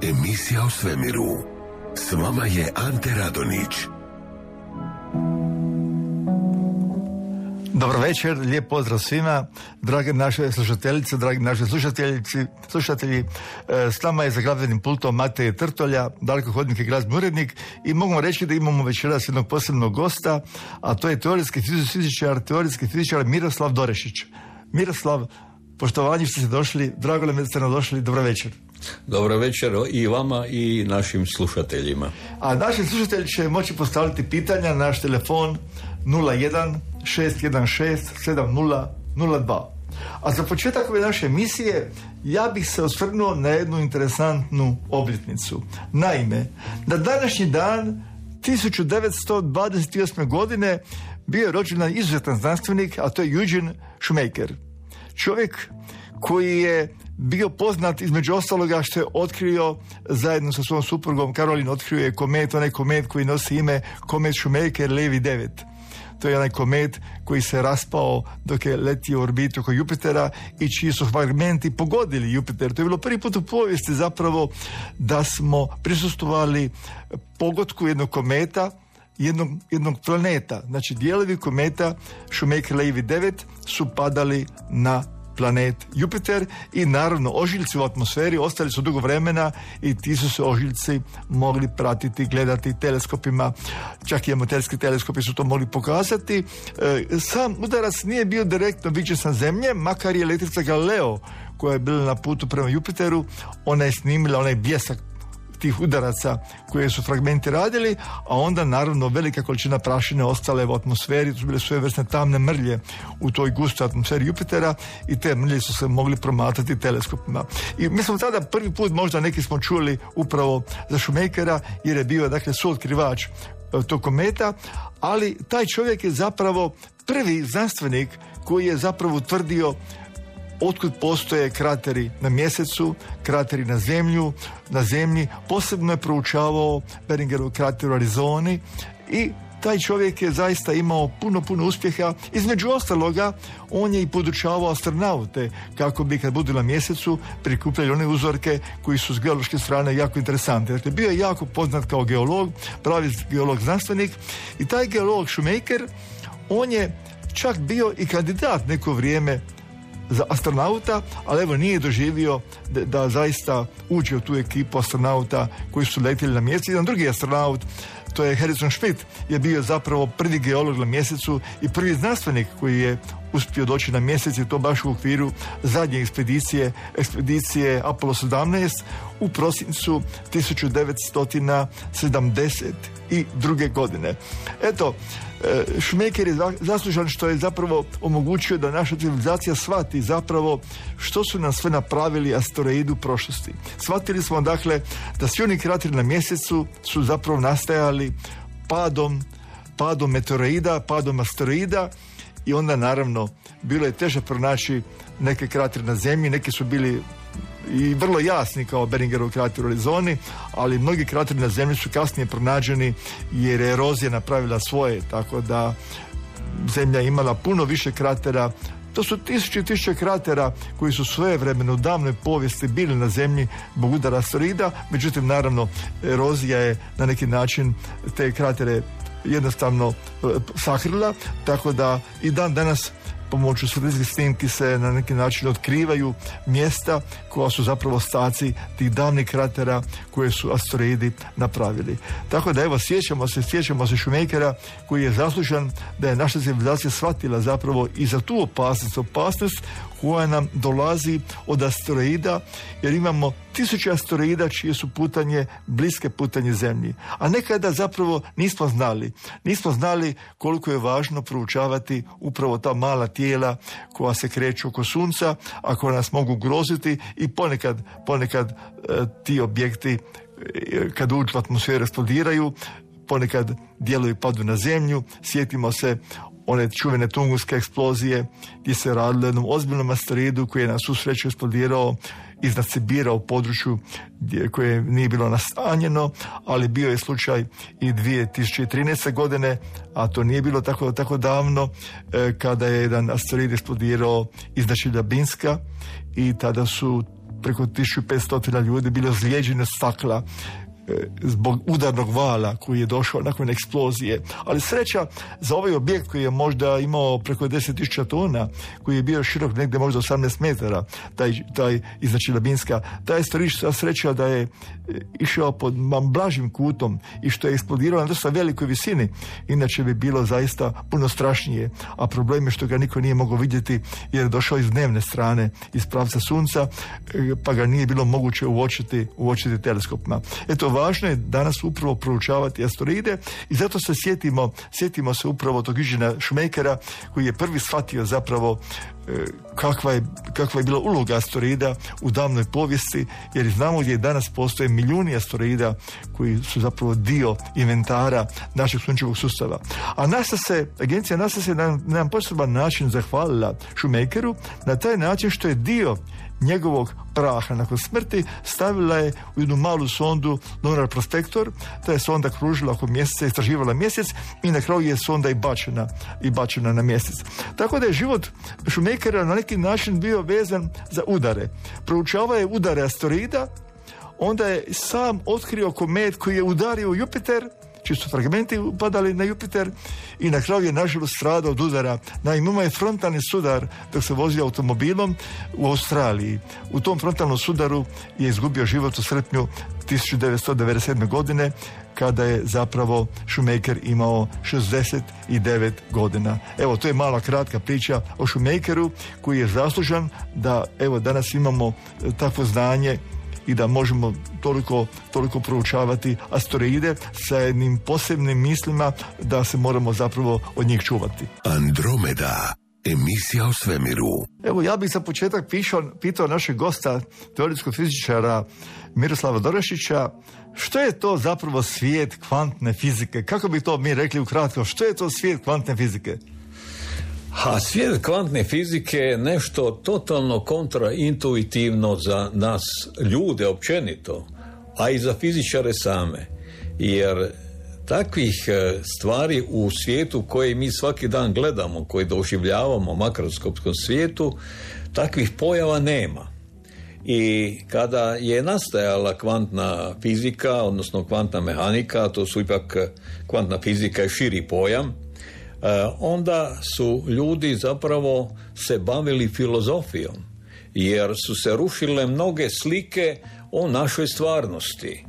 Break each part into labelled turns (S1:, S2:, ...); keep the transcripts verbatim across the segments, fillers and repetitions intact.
S1: Emisija o svemiru. S vama je Ante Radonić.
S2: Dobro večer, lijep pozdrav svima, drage naše slušateljice, dragi naši slušateljici, slušatelji. S nama je za glazbenim pultom Matej Trtolja, dalekohodnik i glazbeni urednik, i mogu reći da imamo večeras jednog posebnog gosta, a to je teorijski fizičar, teorijski fizičar Miroslav Dorešić. Miroslav, poštovanje što ste došli, drago nam je da ste nam došli, dobro večer.
S3: Dobro večer i vama i našim slušateljima.
S2: A naši slušatelji će moći postaviti pitanja na naš telefon nula jedan šest jedan šest sedam nula nula dva. A za početak ove naše emisije ja bih se osvrnuo na jednu interesantnu obljetnicu. Naime, na današnji dan tisuću devetsto dvadeset osme. godine bio je rođen izuzetan znanstvenik, a to je Eugene Shoemaker. Čovjek koji je bio poznat između ostaloga što je otkrio zajedno sa svojom suprugom Karolin, otkrio je komet, onaj komet koji nosi ime komet Shoemaker-Levy devet. To je onaj komet koji se raspao dok je letio u orbitu oko Jupitera i čiji su fragmenti pogodili Jupiter. To je bilo prvi put u povijesti zapravo da smo prisustvovali pogodku jednog kometa, jednog, jednog planeta. Znači dijelovi kometa Shoemaker-Levy devet su padali na planet Jupiter i naravno ožiljci u atmosferi ostali su dugo vremena i ti su se ožiljci mogli pratiti, gledati teleskopima, čak i amaterski teleskopi su to mogli pokazati. E, sam udarac nije bio direktno viđen sa Zemlje, makar je letjelica Galileo koja je bila na putu prema Jupiteru, ona je snimila onaj bljesak tih udaraca koje su fragmenti radili, a onda naravno velika količina prašine ostale u atmosferi, to su bile svojevrsne tamne mrlje u toj gustoj atmosferi Jupitera i te mrlje su se mogli promatrati teleskopima. I mi smo tada prvi put, možda neki smo čuli upravo za Shoemakera, jer je bio dakle suotkrivač tog kometa, ali taj čovjek je zapravo prvi znanstvenik koji je zapravo utvrdio otkud postoje krateri na mjesecu, krateri na zemlju, na zemlji. Posebno je proučavao Beringerov krater u Arizoni i taj čovjek je zaista imao puno, puno uspjeha. Između ostaloga, on je i podučavao astronaute kako bi kad budu na mjesecu prikupljali one uzorke koji su s geološke strane jako interesantni. Dakle, bio je jako poznat kao geolog, pravi geolog znanstvenik i taj geolog Shoemaker, on je čak bio i kandidat neko vrijeme za astronauta, ali evo nije doživio da, da zaista uđe u tu ekipu astronauta koji su letjeli na mjesec. Jedan drugi astronaut, to je Harrison Schmitt, je bio zapravo prvi geolog na mjesecu i prvi znanstvenik koji je uspio doći na mjesec, i to baš u okviru zadnje ekspedicije, ekspedicije Apollo sedamnaest u prosincu tisuću devetsto sedamdeset druge. godine. Eto, Shoemaker je zaslužan što je zapravo omogućio da naša civilizacija shvati zapravo što su nam sve napravili asteroidi u prošlosti. Shvatili smo dakle da svi oni krateri na mjesecu su zapravo nastajali padom, padom meteoroida, padom asteroida i onda naravno bilo je teže pronaći neke kratere na zemlji, neki su bili i vrlo jasni kao Beringerov krater u Arizoni, ali mnogi krateri na zemlji su kasnije pronađeni jer je erozija napravila svoje, tako da zemlja imala puno više kratera. To su tisuće i tisuće kratera koji su svojevremeno u davnoj povijesti bili na zemlji zbog udara asteroida, međutim naravno erozija je na neki način te kratere jednostavno sakrila, tako da i dan danas pomoću satelitskih snimki se na neki način otkrivaju mjesta koja su zapravo ostaci tih davnih kratera koje su asteroidi napravili. Tako da evo, sjećamo se, sjećamo se Shoemakera koji je zaslužan da je naša civilizacija shvatila zapravo i za tu opasnost, opasnost koja nam dolazi od asteroida, jer imamo tisuće asteroida čije su putanje bliske putanje Zemlji. A nekada zapravo nismo znali. Nismo znali koliko je važno proučavati upravo ta mala tijela koja se kreću oko Sunca, a koja nas mogu groziti i ponekad, ponekad e, ti objekti e, kad uđu u atmosferu eksplodiraju, ponekad djeluju i padu na Zemlju. Sjetimo se one čuvene Tunguske eksplozije gdje se radilo o jednom ozbiljnom asteroidu koji je na svu sreću eksplodirao iznad Sibira u području gdje, koje nije bilo nastanjeno, ali bio je slučaj i dvije tisuće trinaeste. godine, a to nije bilo tako, tako davno, eh, kada je jedan asteroid eksplodirao iznad Čeljabinska i tada su preko tisuću petsto ljudi bili ozlijeđeni od stakla zbog udarnog vala koji je došao nakon eksplozije. Ali sreća za ovaj objekt koji je možda imao preko deset tisuća tona, koji je bio širok negdje možda osamnaest metara, taj, taj iznad Čeljabinska, taj je sreća da je išao pod blažim kutom i što je eksplodirao na dosta velikoj visini, inače bi bilo zaista puno strašnije, a problem je što ga niko nije mogao vidjeti jer je došao iz dnevne strane, iz pravca Sunca, pa ga nije bilo moguće uočiti, uočiti teleskopima. Eto, važno je danas upravo proučavati asteroide i zato se sjetimo, sjetimo se upravo tog Eugena Shoemakera koji je prvi shvatio zapravo kakva je, kakva je bila uloga asteroida u davnoj povijesti, jer znamo gdje danas postoje milijuni asteroida koji su zapravo dio inventara našeg sunčevog sustava. A NASA se, agencija NASA se na, na jedan poseban način zahvalila Shoemakeru na taj način što je dio njegovog praha nakon smrti stavila je u jednu malu sondu Lunar Prospector. Ta je sonda kružila oko mjeseca, istraživala mjesec i na kraju je sonda i bačena, i bačena na mjesec. Tako da je život Shoemakera na neki način bio vezan za udare. Proučavao je udare asteroida, onda je sam otkrio komet koji je udario Jupiter, čiji su fragmenti upadali na Jupiter i na kraju je nažalost stradao od udara. Naime, imao je frontalni sudar dok se vozio automobilom u Australiji. U tom frontalnom sudaru je izgubio život u srpnju tisuću devetsto devedeset sedme. godine, kada je zapravo Shoemaker imao šezdeset devet godina. Evo, to je mala kratka priča o Shoemakeru koji je zaslužan da evo danas imamo takvo znanje i da možemo toliko, toliko proučavati asteroide sa jednim posebnim mislima da se moramo zapravo od njih čuvati.
S1: Andromeda, emisija o svemiru.
S2: Evo, ja bih za početak pišao, pitao našeg gosta, teoretskog fizičara Miroslava Dorešića, što je to zapravo svijet kvantne fizike? Kako bi to mi rekli ukratko? Što je to svijet kvantne fizike?
S3: A svijet kvantne fizike je nešto totalno kontraintuitivno za nas ljude općenito, a i za fizičare same. Jer takvih stvari u svijetu koje mi svaki dan gledamo, koje doživljavamo u makroskopskom svijetu, takvih pojava nema. I kada je nastajala kvantna fizika, odnosno kvantna mehanika, to su ipak kvantna fizika je širi pojam, onda su ljudi zapravo se bavili filozofijom, jer su se rušile mnoge slike o našoj stvarnosti.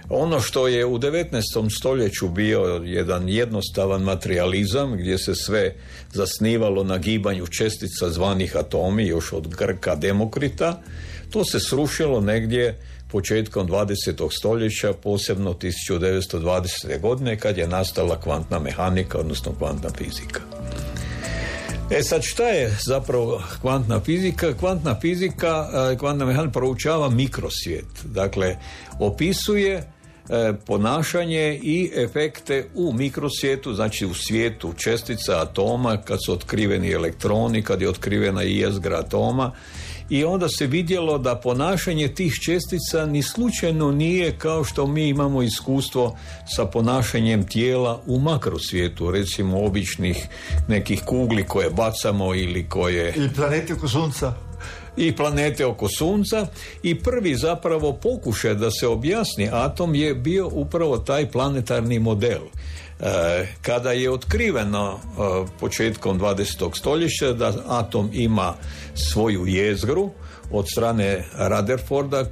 S3: Ono što je u devetnaestom stoljeću bio jedan jednostavan materijalizam, gdje se sve zasnivalo na gibanju čestica zvanih atomi, još od Grka Demokrita, to se srušilo negdje početkom dvadesetog stoljeća, posebno tisuću devetsto dvadesete. godine, kad je nastala kvantna mehanika, odnosno kvantna fizika. E sad, šta je zapravo kvantna fizika? Kvantna fizika, kvantna mehanika proučava mikrosvijet. Dakle, opisuje ponašanje i efekte u mikrosvijetu, znači u svijetu čestica, atoma, kad su otkriveni elektroni, kad je otkrivena i jezgra atoma. I onda se vidjelo da ponašanje tih čestica ni slučajno nije kao što mi imamo iskustvo sa ponašanjem tijela u makrosvijetu, recimo običnih nekih kugli koje bacamo ili koje...
S2: Ili planeti oko Sunca.
S3: I planete oko Sunca. I prvi zapravo pokušaj da se objasni atom je bio upravo taj planetarni model. Kada je otkriveno početkom dvadesetog stoljeća da atom ima svoju jezgru od strane Rutherforda,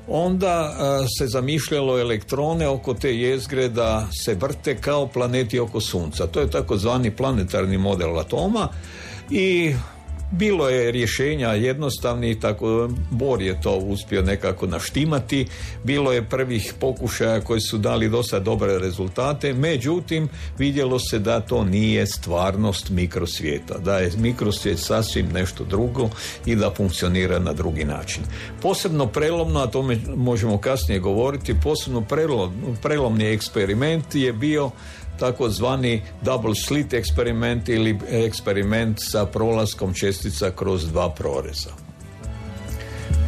S3: onda se zamišljalo elektrone oko te jezgre da se vrte kao planeti oko Sunca. To je takozvani planetarni model atoma i Bilo je rješenja jednostavni, tako Bohr je to uspio nekako naštimati, bilo je prvih pokušaja koji su dali dosta dobre rezultate, međutim vidjelo se da to nije stvarnost mikrosvijeta, da je mikrosvijet sasvim nešto drugo i da funkcionira na drugi način. Posebno prelomno, a tome možemo kasnije govoriti, posebno prelom, prelomni eksperiment je bio takozvani double slit eksperiment ili eksperiment sa prolaskom čestica kroz dva proreza.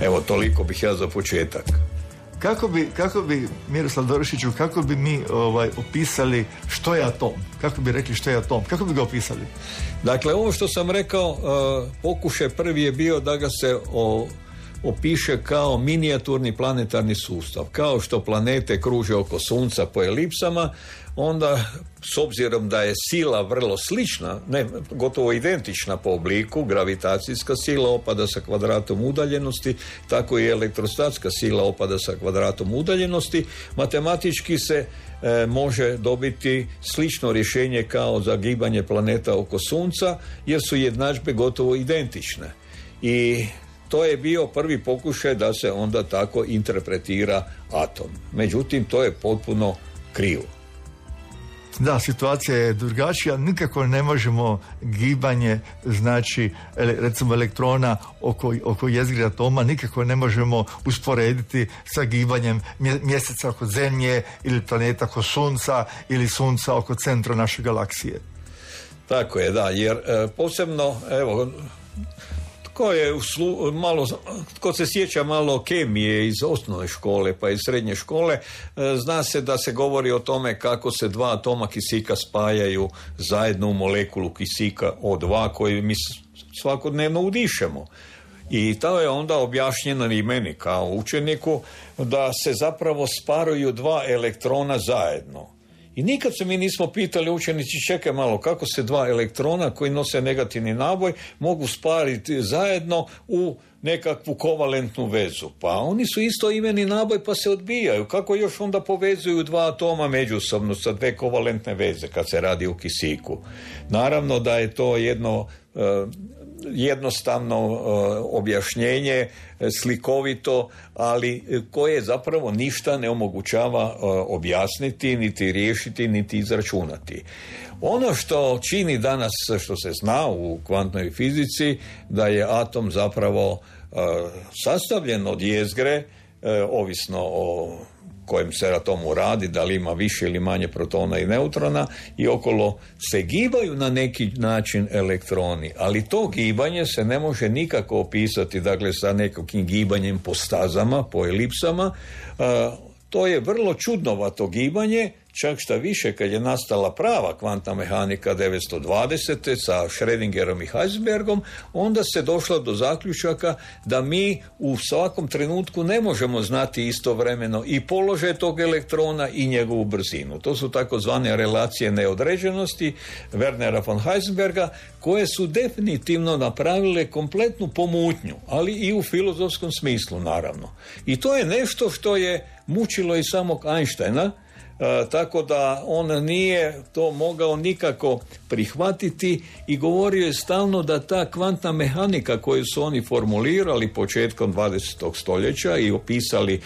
S3: Evo, toliko bih ja za početak.
S2: Kako bi, kako bi Miroslav Dorišiću, kako bi mi ovaj, opisali što je atom? Kako bi rekli što je atom? Kako bi ga opisali?
S3: Dakle, ovo što sam rekao, uh, pokušaj prvi je bio da ga se o, opiše kao minijaturni planetarni sustav. Kao što planete kruže oko Sunca po elipsama, onda, s obzirom da je sila vrlo slična, ne, gotovo identična po obliku, gravitacijska sila opada sa kvadratom udaljenosti, tako i elektrostatska sila opada sa kvadratom udaljenosti, matematički se e, može dobiti slično rješenje kao za gibanje planeta oko Sunca, jer su jednadžbe gotovo identične. I to je bio prvi pokušaj da se onda tako interpretira atom. Međutim, to je potpuno krivo.
S2: Da, situacija je drugačija, nikako ne možemo gibanje, znači recimo elektrona oko, oko jezgre atoma, nikako ne možemo usporediti sa gibanjem mjeseca oko Zemlje ili planeta oko Sunca ili Sunca oko centra naše galaksije.
S3: Tako je, da, jer e, posebno, evo, Tko je uslu, malo, tko se sjeća malo kemije iz osnovne škole pa iz srednje škole, zna se da se govori o tome kako se dva atoma kisika spajaju zajedno u molekulu kisika O dva koju mi svakodnevno udišemo. I to je onda objašnjeno i meni kao učeniku da se zapravo sparuju dva elektrona zajedno. I nikad se mi nismo pitali učenici, čekaj malo, kako se dva elektrona koji nose negativni naboj mogu spariti zajedno u nekakvu kovalentnu vezu. Pa oni su isto imeni naboj pa se odbijaju. Kako još onda povezuju dva atoma međusobno sa dve kovalentne veze kad se radi u kisiku? Naravno da je to jedno uh, jednostavno uh, objašnjenje, slikovito, ali koje zapravo ništa ne omogućava uh, objasniti, niti riješiti, niti izračunati. Ono što čini danas, što se zna u kvantnoj fizici, da je atom zapravo uh, sastavljen od jezgre, uh, ovisno o kojem se atomu radi, da li ima više ili manje protona i neutrona, i okolo se gibaju na neki način elektroni, ali to gibanje se ne može nikako opisati, dakle, sa nekakvim gibanjem po stazama, po elipsama. To je vrlo čudnovato gibanje, čak šta više, kad je nastala prava kvantna mehanika devetsto dvadesete sa Schrödingerom i Heisenbergom, onda se došlo do zaključaka da mi u svakom trenutku ne možemo znati istovremeno i položaj tog elektrona i njegovu brzinu. To su takozvane relacije neodređenosti Wernera von Heisenberga, koje su definitivno napravile kompletnu pomutnju, ali i u filozofskom smislu, naravno. I to je nešto što je mučilo i samog Einsteina, E, tako da on nije to mogao nikako prihvatiti i govorio je stalno da ta kvantna mehanika koju su oni formulirali početkom dvadesetog stoljeća i opisali e,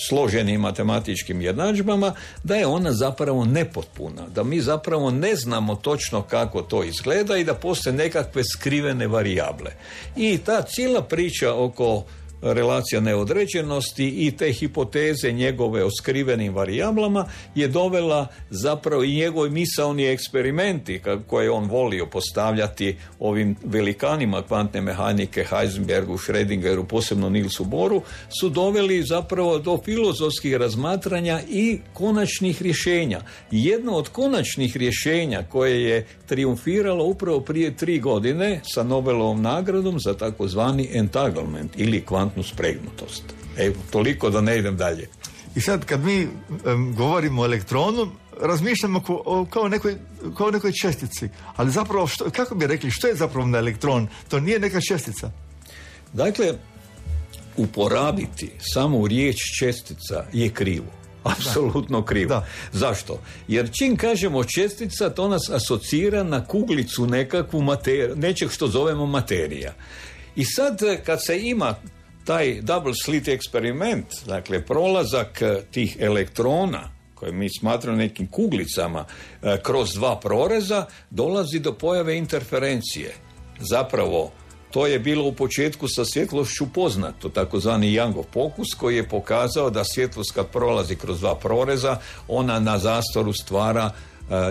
S3: složenim matematičkim jednadžbama, da je ona zapravo nepotpuna, da mi zapravo ne znamo točno kako to izgleda i da postoje nekakve skrivene varijable. I ta cijela priča oko relacija neodređenosti i te hipoteze njegove o skrivenim varijablama je dovela zapravo i njegovi misaoni eksperimenti koje on volio postavljati ovim velikanima kvantne mehanike, Heisenbergu, Schrödingeru, posebno Nielsu Bohru, su doveli zapravo do filozofskih razmatranja i konačnih rješenja. Jedno od konačnih rješenja koje je triumfiralo upravo prije tri godine sa Nobelovom nagradom za takozvani entanglement ili kvantnu spregnutost. Evo, toliko da ne idem dalje.
S2: I sad kad mi um, govorimo o elektronu, razmišljamo ko, o, kao, nekoj, kao nekoj čestici. Ali zapravo, što, kako bi rekli, što je zapravo na elektron? To nije neka čestica.
S3: Dakle, uporabiti samo riječ čestica je krivo. Apsolutno krivo.
S2: Da.
S3: Zašto? Jer čim kažemo čestica, to nas asocira na kuglicu nekakvu materiju, nečeg što zovemo materija. I sad kad se ima taj double slit eksperiment, dakle prolazak tih elektrona, koje mi smatramo nekim kuglicama, kroz dva proreza, dolazi do pojave interferencije. Zapravo, to je bilo u početku sa svjetlošću poznato, takozvani Youngov pokus, koji je pokazao da svjetlost kad prolazi kroz dva proreza, ona na zastoru stvara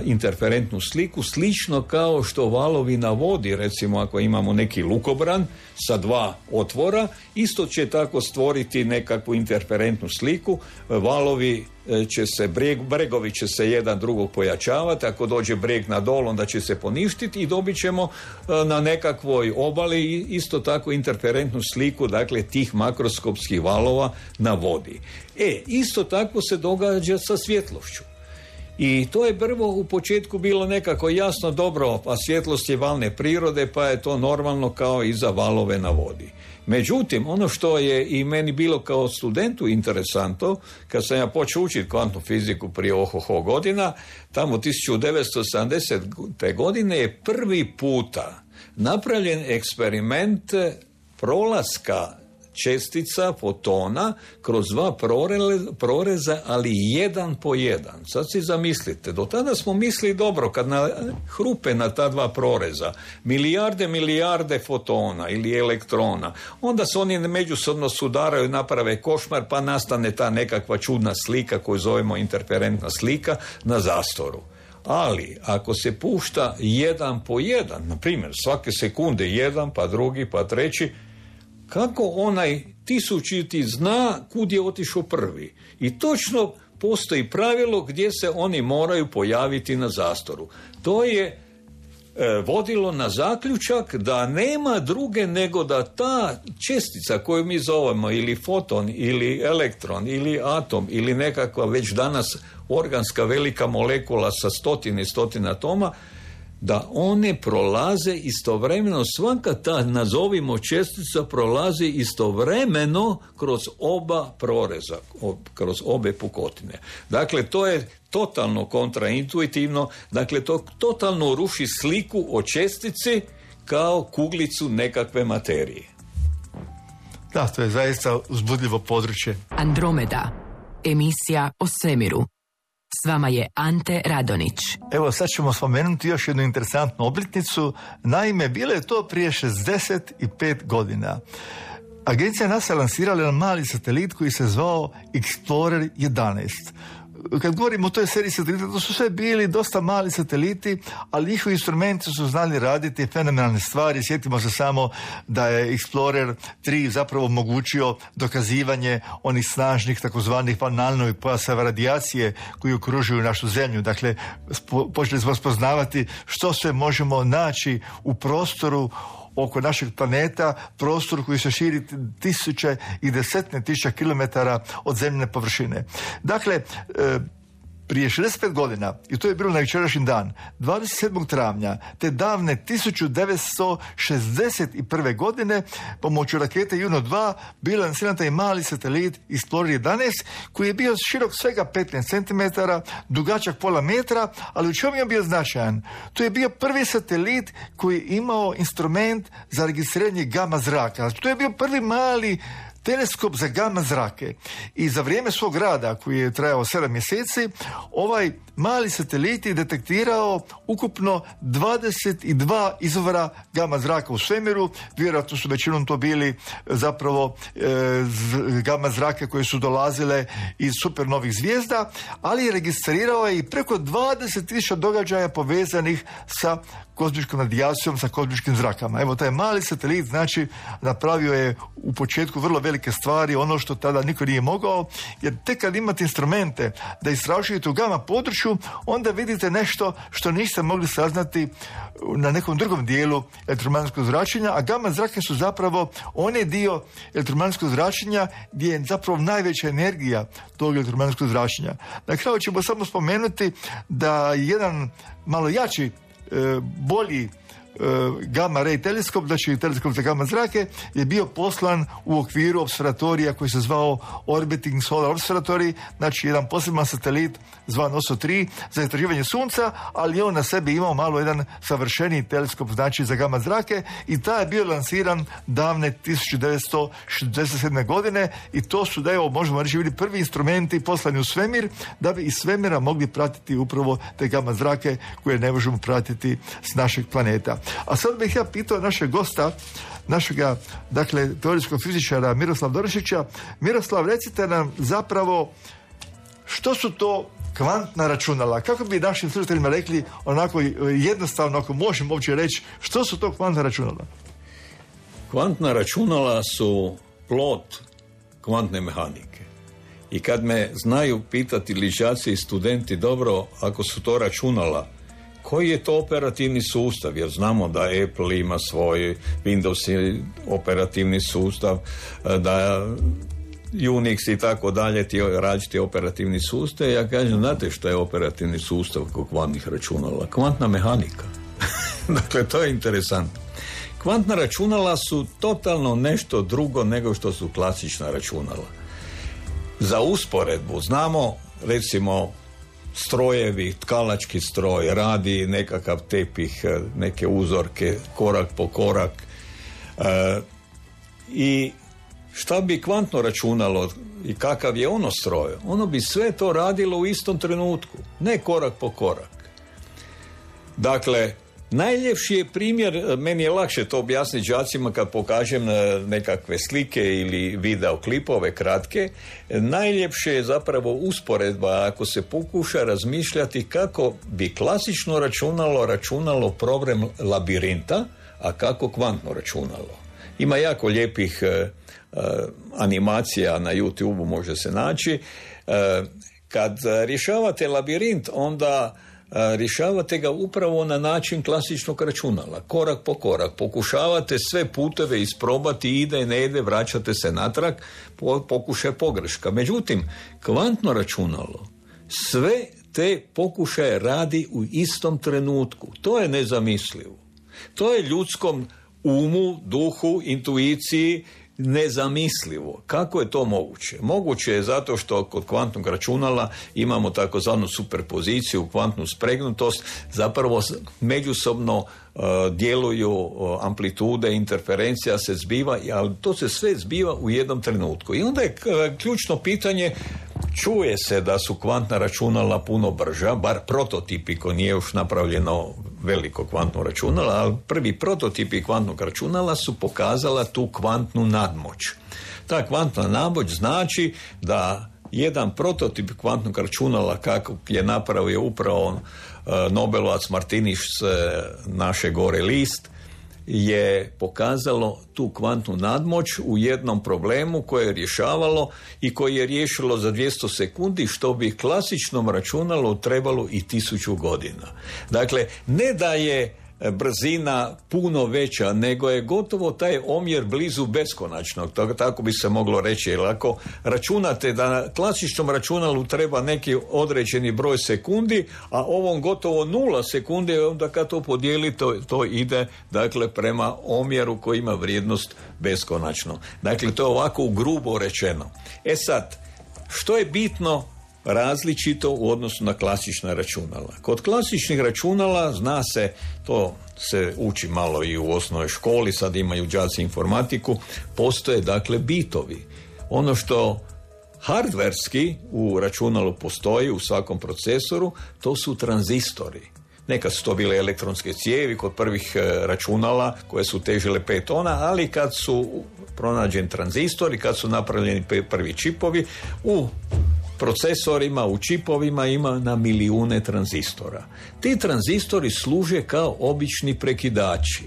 S3: interferentnu sliku, slično kao što valovi na vodi, recimo ako imamo neki lukobran sa dva otvora, isto će tako stvoriti nekakvu interferentnu sliku, valovi će se, breg, bregovi će se jedan drugog pojačavati, ako dođe breg na dol, onda će se poništiti i dobit ćemo na nekakvoj obali isto tako interferentnu sliku, dakle tih makroskopskih valova na vodi. E, isto tako se događa sa svjetlošću. I to je prvo u početku bilo nekako jasno, dobro, pa svjetlost je valne prirode, pa je to normalno kao i za valove na vodi. Međutim, ono što je i meni bilo kao studentu interesantno, kad sam ja počeo učiti kvantnu fiziku prije ohoho godina, tamo tisuću devetsto sedamdesete. godine je prvi puta napravljen eksperiment prolaska čestica, fotona, kroz dva proreza, ali jedan po jedan. Sad si zamislite, do tada smo mislili dobro, kad na, hrupe na ta dva proreza milijarde, milijarde fotona ili elektrona, onda se oni međusobno sudaraju, naprave košmar, pa nastane ta nekakva čudna slika koju zovemo interferentna slika na zastoru. Ali, ako se pušta jedan po jedan, na primjer, svake sekunde jedan, pa drugi, pa treći, kako onaj tisućiti zna kud je otišao prvi. I točno postoji pravilo gdje se oni moraju pojaviti na zastoru. To je e, vodilo na zaključak da nema druge nego da ta čestica koju mi zovemo ili foton, ili elektron, ili atom, ili nekakva već danas organska velika molekula sa stotine i stotine atoma, da one prolaze istovremeno, svaka ta, nazovimo čestica, prolazi istovremeno kroz oba proreza, kroz obe pukotine. Dakle, to je totalno kontraintuitivno, dakle, to totalno ruši sliku o čestici kao kuglicu nekakve materije.
S2: Da, to je zaista uzbudljivo područje.
S4: Andromeda, emisija o svemiru. S vama je Ante Radonić.
S2: Evo, sad ćemo spomenuti još jednu interesantnu obljetnicu. Naime, bilo je to prije šezdeset pet godina. Agencija NASA lansirala jedan mali satelit koji se zvao Explorer jedanaest. Kad govorimo o toj seriji satelita, to su sve bili dosta mali sateliti, ali njihovi instrumenti su znali raditi fenomenalne stvari. Sjetimo se samo da je Explorer tri zapravo omogućio dokazivanje onih snažnih takozvanih vanalnovih pojaseva radijacije koji okružuju našu zemlju. Dakle, spo, počeli smo spoznavati što sve možemo naći u prostoru oko našeg planeta, prostor koji se širi tisuće i desetine tisuća kilometara od zemljine površine. Dakle, e, prije šezdeset pet godina, i to je bilo na jučerašnji dan, dvadeset sedmog travnja te davne tisuću devetsto šezdeset prve. godine, pomoću rakete Juno dva bio lansiran taj mali satelit Explorer jedanaest, koji je bio širok svega petnaest centimetara, dugačak pola metra, ali u čemu je bio značajan? To je bio prvi satelit koji je imao instrument za registriranje gama zraka. Znači, to je bio prvi mali teleskop za gama zrake. I za vrijeme svog rada, koji je trajao sedam mjeseci, ovaj mali satelit je detektirao ukupno dvadeset dva izvora gama zraka u svemiru. Vjerojatno su većinom to bili zapravo e, z, gama zrake koje su dolazile iz supernovih zvijezda, ali je registrirao je i preko dvadeset tisuća događaja povezanih sa kozmičkom radijacijom, sa kozmičkim zrakama. Evo, taj mali satelit, znači, napravio je u početku vrlo velike stvari, ono što tada niko nije mogao, jer tek kad imate instrumente da istražujete u gama području, onda vidite nešto što niste mogli saznati na nekom drugom dijelu elektromagnetskog zračenja, a gama zrake su zapravo onaj dio elektromagnetskog zračenja gdje je zapravo najveća energija tog elektromagnetskog zračenja. Na kraju ćemo samo spomenuti da jedan malo jači, bolji gamma ray teleskop, znači teleskop za gamma zrake, je bio poslan u okviru observatorija koji se zvao Orbiting Solar Observatory, znači jedan poseban satelit zvan O S O tri za istraživanje sunca, ali on na sebi imao malo jedan savršeniji teleskop, znači za gamma zrake, i taj je bio lansiran davne tisuću devetsto šezdeset sedme godine, i to su, da evo, možemo reći, bili prvi instrumenti poslani u svemir da bi iz svemira mogli pratiti upravo te gamma zrake koje ne možemo pratiti s našeg planeta. A sad bih ja pitao našeg gosta, našega, dakle, teorijskog fizičara Miroslava Dorišića. Miroslav, recite nam zapravo što su to kvantna računala? Kako bi našim slušateljima rekli onako jednostavno, ako možemo uopće reći, što su to kvantna računala?
S3: Kvantna računala su plod kvantne mehanike. I kad me znaju pitati ličaci i studenti, dobro, ako su to računala, koji je to operativni sustav? Jer znamo da Apple ima svoj Windows operativni sustav, da Unix i tako dalje, ti različiti operativni sustav. Ja kažem, znate što je operativni sustav kod kvantnih računala? Kvantna mehanika. Dakle, to je interesantno. Kvantna računala su totalno nešto drugo nego što su klasična računala. Za usporedbu znamo, recimo, strojevi, tkalački stroj radi nekakav tepih, neke uzorke, korak po korak. E, I šta bi kvantno računalo i kakav je ono stroj? Ono bi sve to radilo u istom trenutku, ne korak po korak. Dakle, najljepši je primjer, meni je lakše to objasniti đacima kad pokažem nekakve slike ili video klipove kratke, najljepše je zapravo usporedba ako se pokuša razmišljati kako bi klasično računalo računalo problem labirinta, a kako kvantno računalo. Ima jako lijepih uh, uh, animacija na YouTube, može se naći. Uh, kad rješavate labirint, onda rješavate ga upravo na način klasičnog računala, korak po korak. Pokušavate sve puteve isprobati, ide, ne ide, vraćate se natrag, pokušaj pogreška. Međutim, kvantno računalo sve te pokušaje radi u istom trenutku. To je nezamislivo. To je ljudskom umu, duhu, intuiciji nezamislivo. Kako je to moguće? Moguće je zato što kod kvantnog računala imamo takozvanu superpoziciju, kvantnu spregnutost, zapravo međusobno uh, djeluju uh, amplitude, interferencija se zbiva, ali to se sve zbiva u jednom trenutku. I onda je uh, ključno pitanje, čuje se da su kvantna računala puno brža, bar prototipi, ko nije još napravljeno veliko kvantno računala, ali prvi prototipi kvantnog računala su pokazala tu kvantnu nadmoć. Ta kvantna nadmoć znači da jedan prototip kvantnog računala, kako je napravio upravo uh, Nobelovac Martiniš s naše gore list, je pokazalo tu kvantnu nadmoć u jednom problemu koje je rješavalo i koje je riješilo za dvjesto sekundi, što bi klasičnom računalu trebalo i tisuću godina. Dakle, ne da je brzina puno veća, nego je gotovo taj omjer blizu beskonačnog, tako bi se moglo reći. Jer ako računate da na klasičnom računalu treba neki određeni broj sekundi, a ovom gotovo nula sekundi, onda kad to podijelite, to, to ide, dakle, prema omjeru koji ima vrijednost beskonačno. Dakle, to je ovako grubo rečeno. E sad, što je bitno različito u odnosu na klasična računala? Kod klasičnih računala, zna se, to se uči malo i u osnovnoj školi, sad imaju đaci informatiku, postoje dakle bitovi. Ono što hardverski u računalu postoji, u svakom procesoru, to su tranzistori. Nekad su to bile elektronske cijevi kod prvih računala koje su težile pet tona, ali kad su pronađeni tranzistori, kad su napravljeni prvi čipovi, u procesorima, u čipovima ima na milijune tranzistora. Ti tranzistori služe kao obični prekidači.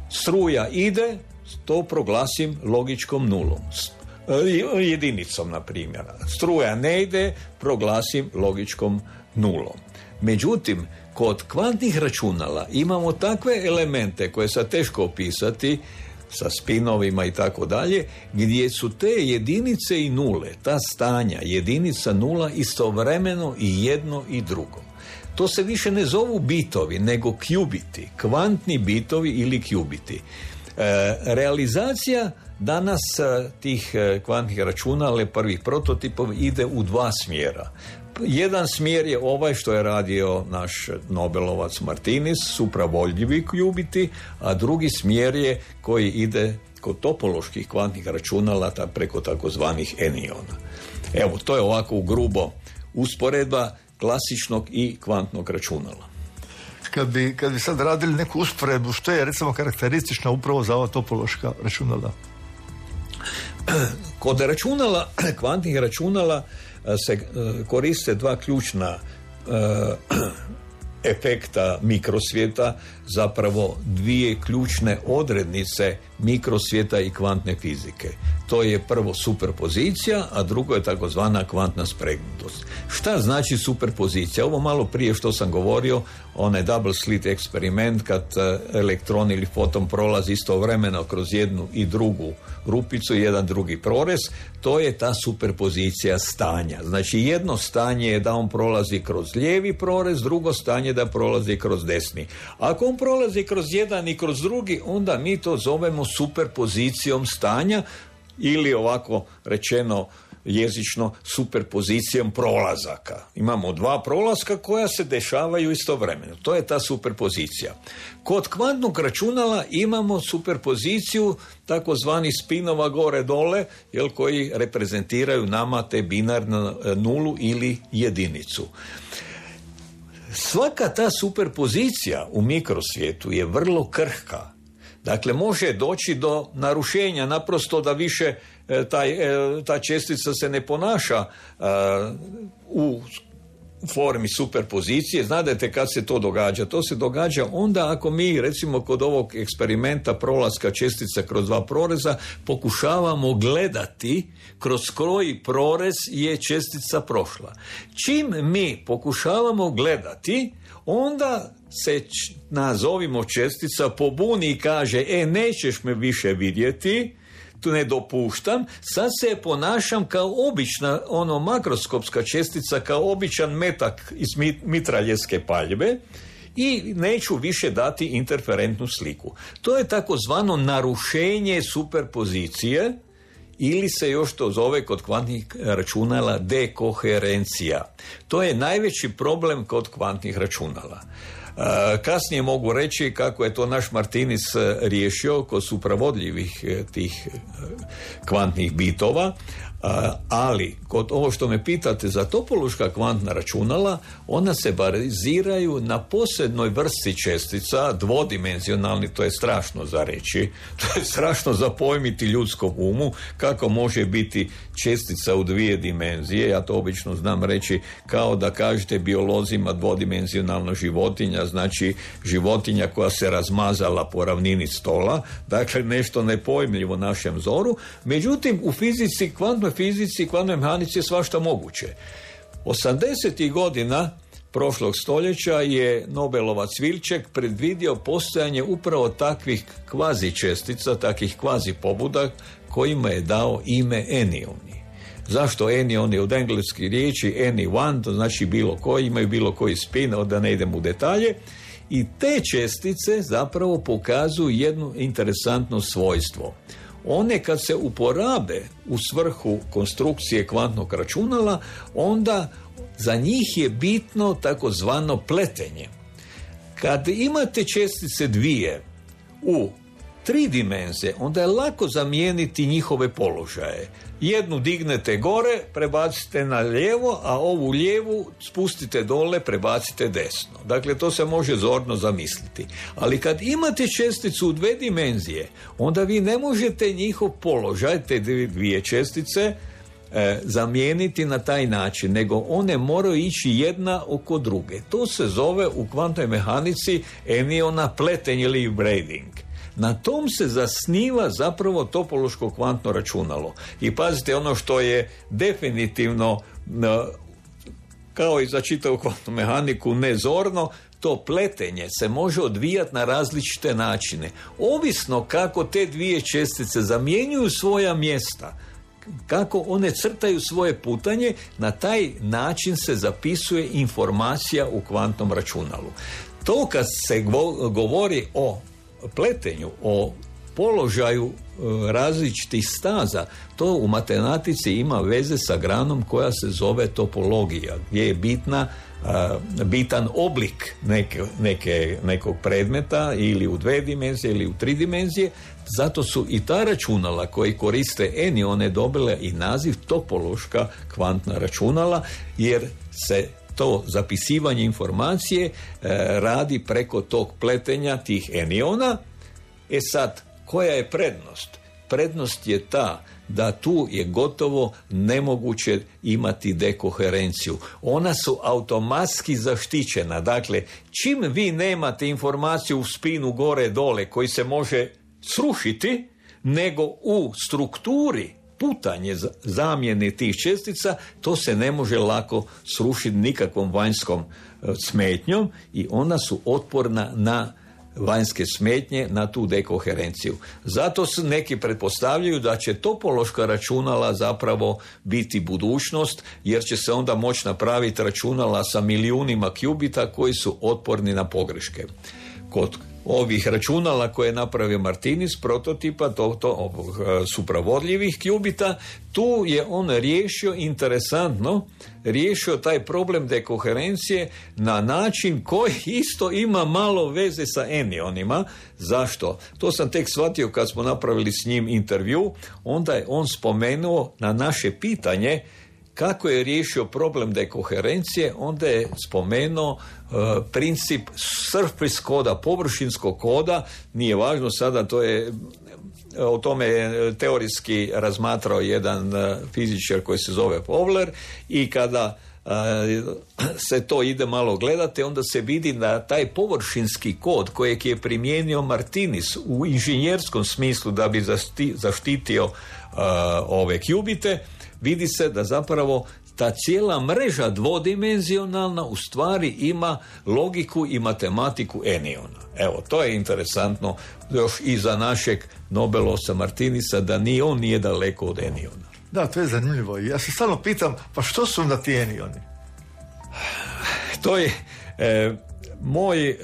S3: Struja ide, to proglasim logičkom nulom. Jedinicom, na primjer. Struja ne ide, proglasim logičkom nulom. Međutim, kod kvantnih računala imamo takve elemente koje se teško opisati, sa spinovima i tako dalje, gdje su te jedinice i nule, ta stanja, jedinica, nula, istovremeno i jedno i drugo. To se više ne zovu bitovi, nego qubiti, kvantni bitovi ili qubiti. E, realizacija danas tih kvantnih računala, prvih prototipova, ide u dva smjera. Jedan smjer je ovaj što je radio naš Nobelovac Martinis, supravodljivi qubiti, a drugi smjer je koji ide kod topoloških kvantnih računala ta preko takozvanih eniona. Evo, to je ovako u grubo usporedba klasičnog i kvantnog računala.
S2: Kad bi, kad bi sad radili neku usporedbu, što je recimo karakteristično upravo za ova topološka računala?
S3: Kod računala, kvantnih računala, se koriste dva ključna efekta mikrosvijeta, zapravo dvije ključne odrednice mikrosvijeta i kvantne fizike. To je prvo superpozicija, a drugo je takozvana kvantna spregnutost. Šta znači superpozicija? Ovo malo prije što sam govorio, onaj double slit eksperiment, kad elektron ili foton prolazi istovremeno kroz jednu i drugu rupicu, jedan drugi prorez, to je ta superpozicija stanja. Znači jedno stanje je da on prolazi kroz lijevi prorez, drugo stanje da prolazi kroz desni. Ako on prolazi kroz jedan i kroz drugi, onda mi to zovemo superpozicijom stanja, ili ovako rečeno jezično superpozicijom prolazaka. Imamo dva prolaska koja se dešavaju istovremeno. To je ta superpozicija. Kod kvantnog računala imamo superpoziciju takozvani spinova gore-dole, jel, koji reprezentiraju nama te binarnu nulu ili jedinicu. Svaka ta superpozicija u mikrosvijetu je vrlo krhka. Dakle, može doći do narušenja, naprosto da više e, taj, e, ta čestica se ne ponaša e, u formi superpozicije. Znate kad se to događa? To se događa onda ako mi, recimo kod ovog eksperimenta prolaska čestica kroz dva proreza, pokušavamo gledati kroz koji prorez je čestica prošla. Čim mi pokušavamo gledati, onda se, nazovimo, čestica pobuni i kaže, e, nećeš me više vidjeti, tu ne dopuštam, sad se ponašam kao obična, ono, makroskopska čestica, kao običan metak iz mitraljevske paljbe i neću više dati interferentnu sliku. To je takozvano narušenje superpozicije, ili se još to zove kod kvantnih računala dekoherencija. To je najveći problem kod kvantnih računala. Kasnije mogu reći kako je to naš Martinis riješio kod supravodljivih tih kvantnih bitova, ali kod ovo što me pitate za topološka kvantna računala, ona se baziraju na posebnoj vrsti čestica, dvodimenzionalni, to je strašno za reći, to je strašno za pojmiti ljudskom umu, kako može biti čestica u dvije dimenzije. Ja to obično znam reći kao da kažete biolozima dvodimenzionalna životinja, znači životinja koja se razmazala po ravnini stola, dakle nešto nepojmljivo našem zoru. Međutim, u fizici, kvantnoj fizici i kvantnoj mehanici je svašta moguće. osamdesetih godina prošlog stoljeća je Nobelovac Wilczek predvidio postojanje upravo takvih kvazi čestica, takvih kvazi pobuda kojima je dao ime enioni. Zašto enioni? Od engleske riječi anyone, to znači bilo koji, imaju bilo koji spin, da ne idem u detalje. I te čestice zapravo pokazuju jedno interesantno svojstvo. One kad se uporabe u svrhu konstrukcije kvantnog računala, onda za njih je bitno takozvano pletenje. Kad imate čestice dvije u tri dimenzije, onda je lako zamijeniti njihove položaje. Jednu dignete gore, prebacite na lijevo, a ovu lijevu spustite dole, prebacite desno. Dakle, to se može zorno zamisliti. Ali kad imate česticu u dve dimenzije, onda vi ne možete njihov položaj, te dvije čestice, e, zamijeniti na taj način, nego one moraju ići jedna oko druge. To se zove u kvantnoj mehanici eniona pletenje ili braiding. Na tom se zasniva zapravo topološko kvantno računalo. I pazite, ono što je definitivno, kao i za čitavu kvantnu mehaniku, nezorno, to pletenje se može odvijati na različite načine. Ovisno kako te dvije čestice zamjenjuju svoja mjesta. kako one crtaju svoje putanje, na taj način se zapisuje informacija u kvantnom računalu. To kad se govori o pletenju, o položaju različitih staza, to u matematici ima veze sa granom koja se zove topologija, gdje je bitna, bitan oblik neke, neke, nekog predmeta ili u dve dimenzije ili u tri dimenzije. Zato su i ta računala koji koriste enione dobile i naziv topološka kvantna računala, jer se to zapisivanje informacije e, radi preko tog pletenja tih eniona. E sad, koja je prednost? Prednost je ta da tu je gotovo nemoguće imati dekoherenciju. Ona su automatski zaštićena. Dakle, čim vi nemate informaciju u spinu gore dole koji se može srušiti, nego u strukturi putanje zamjene tih čestica, to se ne može lako srušiti nikakvom vanjskom smetnjom i ona su otporna na vanjske smetnje, na tu dekoherenciju. Zato se neki pretpostavljaju da će topološka računala zapravo biti budućnost, jer će se onda moći napraviti računala sa milijunima kubita koji su otporni na pogreške. Kod ovih računala koje je napravio Martinis, prototipa to, to, ovog, supravodljivih kubita, tu je on riješio, interesantno, riješio taj problem dekoherencije na način koji isto ima malo veze sa enionima. Zašto? To sam tek shvatio kad smo napravili s njim intervju. Onda je on spomenuo na naše pitanje kako je riješio problem dekoherencije, onda je spomenuo uh, princip surface koda, površinskog koda. Nije važno sada, to je, o tome je teorijski razmatrao jedan uh, fizičar koji se zove Fowler, i kada uh, se to ide malo gledati, onda se vidi da taj površinski kod kojeg je primijenio Martinis u inženjerskom smislu da bi zašti, zaštitio uh, ove kubite, vidi se da zapravo ta cijela mreža dvodimenzionalna u stvari ima logiku i matematiku eniona. Evo, to je interesantno još i za našeg Nobelovca Martinisa, da ni on nije daleko od eniona.
S2: Da, to je zanimljivo. Ja se stalno pitam, pa što su onda ti enioni?
S3: To je e, moj e,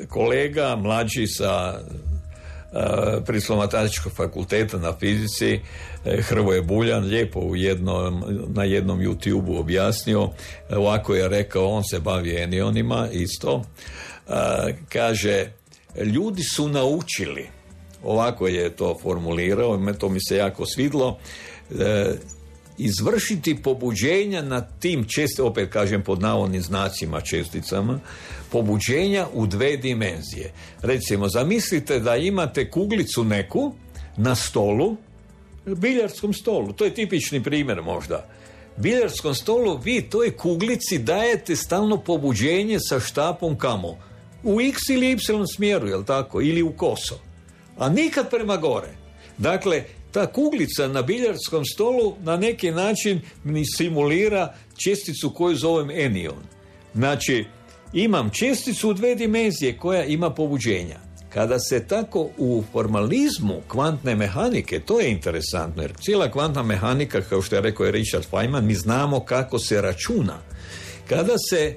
S3: kolega mlađi sa Uh, Prirodoslovno-matematičkog fakulteta na fizici, uh, Hrvoje Buljan, lijepo u jednom, na jednom YouTube-u objasnio, uh, ovako je rekao, on se bavi enionima isto, uh, kaže, ljudi su naučili, ovako je to formulirao, to mi se jako svidlo, uh, izvršiti pobuđenja na tim česticama, opet kažem pod navodnim znacima česticama, pobuđenja u dve dimenzije. Recimo, zamislite da imate kuglicu neku na stolu, biljardskom stolu, to je tipični primjer možda. Biljardskom stolu vi toj kuglici dajete stalno pobuđenje sa štapom kamo? U x ili y smjeru, jel tako? Ili u koso. A nikad prema gore. Dakle, ta kuglica na biljardskom stolu na neki način mi simulira česticu koju zovem enion. Znači, imam česticu u dve dimenzije koja ima pobuđenja. Kada se tako u formalizmu kvantne mehanike, to je interesantno, jer cijela kvantna mehanika, kao što je rekao je Richard Feynman, mi znamo kako se računa. Kada se,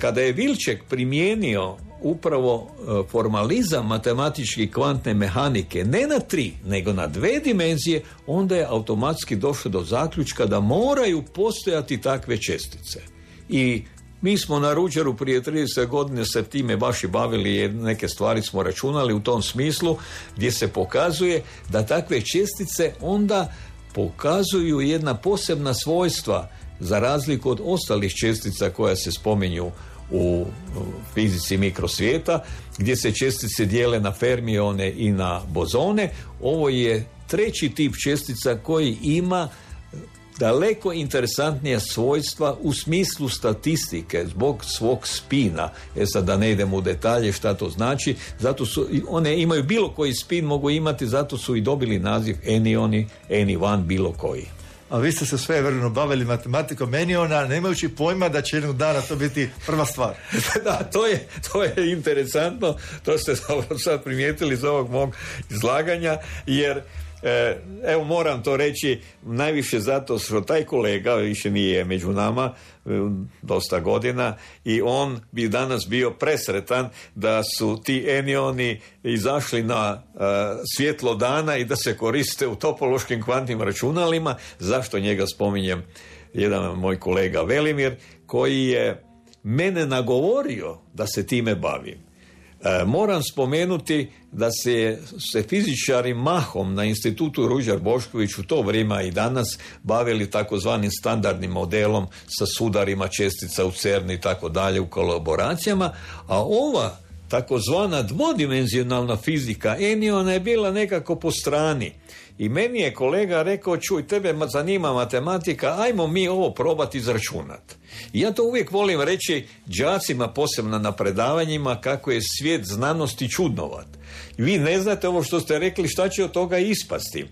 S3: kada je Wilczek primijenio upravo formalizam matematičke kvantne mehanike ne na tri, nego na dve dimenzije, onda je automatski došlo do zaključka da moraju postojati takve čestice. I mi smo na Ruđeru prije trideset godina se time baš i bavili, neke stvari smo računali u tom smislu, gdje se pokazuje da takve čestice onda pokazuju jedna posebna svojstva za razliku od ostalih čestica koja se spominju u fizici mikrosvijeta, gdje se čestice dijele na fermione i na bozone. Ovo je treći tip čestica koji ima daleko interesantnija svojstva u smislu statistike zbog svog spina. E sad da ne idemo u detalje šta to znači, zato su, one imaju bilo koji spin mogu imati, zato su i dobili naziv enioni, eni jedan, bilo koji.
S2: A vi ste se svevremeno bavili matematikom eniona, nemajući pojma da će jednog dana to biti prva stvar.
S3: Da, to je, to je interesantno, to ste sad primijetili iz ovog mog izlaganja, jer E, evo moram to reći najviše zato što taj kolega više nije među nama dosta godina i on bi danas bio presretan da su ti enioni izašli na uh, svjetlo dana i da se koriste u topološkim kvantnim računalima. Zašto njega spominjem? Jedan moj kolega Velimir koji je mene nagovorio da se time bavim. E, moram spomenuti da se, se fizičari mahom na institutu Ruđer Bošković u to vrijeme i danas bavili takozvanim standardnim modelom sa sudarima čestica u CERN i tako dalje u kolaboracijama, a ova takozvana dvodimenzionalna fizika eniona je bila nekako po strani. I meni je kolega rekao, čuj, tebe zanima matematika, ajmo mi ovo probati izračunati. I ja to uvijek volim reći đacima, posebno na predavanjima, kako je svijet znanosti čudnovat. Vi ne znate ovo što ste rekli, šta će od toga ispasti. E,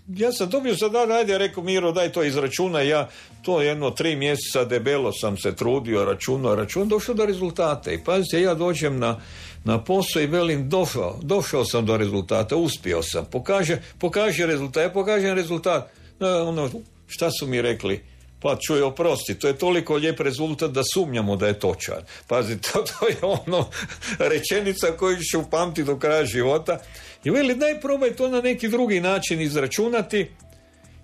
S3: ja sam dobio sada, ajde, rekao Miro, daj to izračuna, ja to jedno tri mjeseca debelo sam se trudio, računao, računao, došao do rezultata. I pazite, ja dođem na na posao i velim, došao, došao sam do rezultata, uspio sam, pokaže, pokaže rezultat, ja pokažem rezultat, e, ono, šta su mi rekli? Pa čuj, oprosti, to je toliko lijep rezultat da sumnjamo da je točan. Pazi, to, to je ono rečenica koju ću upamtiti do kraja života. I veli, daj probaj to na neki drugi način izračunati.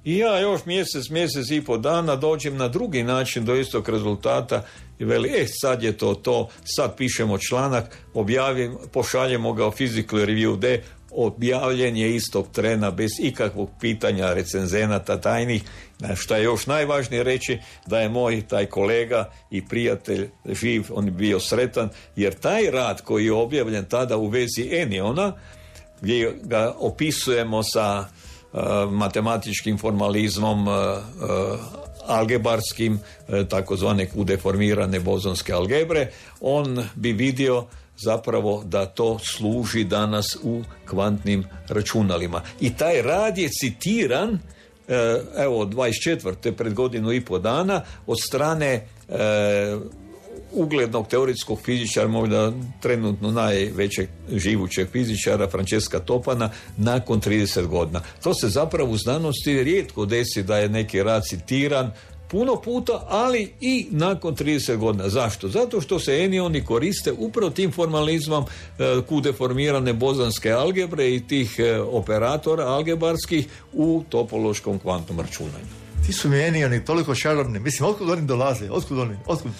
S3: I ja još mjesec, mjesec i po dana dođem na drugi način do istog rezultata i veli, e, sad je to to, sad pišemo članak, objavim, pošaljemo ga u Physical Review D, objavljen je istog trena bez ikakvog pitanja recenzenata tajnih. Što je još najvažnije reći, da je moj taj kolega i prijatelj živ, on je bio sretan, jer taj rad koji je objavljen tada u vezi eniona, gdje ga opisujemo sa uh, matematičkim formalizmom, uh, uh, algebarskim, uh, takozvane udeformirane bozonske algebre, on bi vidio zapravo da to služi danas u kvantnim računalima. I taj rad je citiran, evo, dvadeset četvrte pred godinu i po dana, od strane e, uglednog teoretskog fizičara, možda trenutno najvećeg živućeg fizičara, Francesca Topana, nakon trideset godina. To se zapravo u znanosti rijetko desi da je neki rad citiran puno puta, ali i nakon trideset godina. Zašto? Zato što se enioni koriste upravo tim formalizmom e, kudeformirane bozanske algebre i tih e, operatora algebarskih u topološkom kvantnom računanju.
S2: Ti su mi enioni toliko čarobni. Mislim, otkud oni dolaze? Otkud oni? Otkud?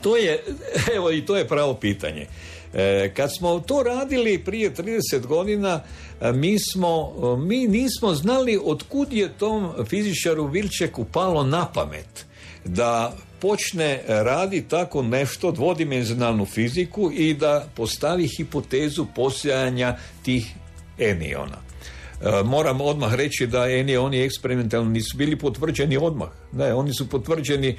S3: To je, evo, i to je pravo pitanje. E, kad smo to radili prije trideset godina, mi smo, mi nismo znali otkud je tom fizičaru Wilckeku palo na pamet da počne radi tako nešto, dvodimenzionalnu fiziku, i da postavi hipotezu postojanja tih eniona. E, moram odmah reći da enioni eksperimentalno nisu bili potvrđeni odmah. Ne, oni su potvrđeni e,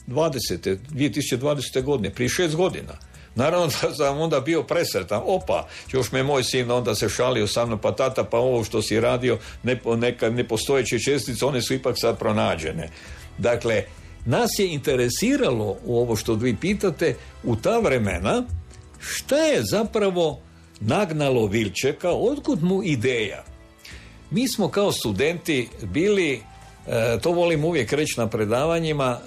S3: dvadesete, dvije tisuće dvadesete godine, prije šest godina. Naravno da sam onda bio presretan. Opa, još me moj sin onda se šalio sa mnom, pa tata, pa ovo što si radio, ne, neka nepostojeće čestice, one su ipak sad pronađene. Dakle, nas je interesiralo u ovo što vi pitate u ta vremena, šta je zapravo nagnalo Wilckeka, otkud mu ideja. Mi smo kao studenti bili, to volim uvijek reći na predavanjima,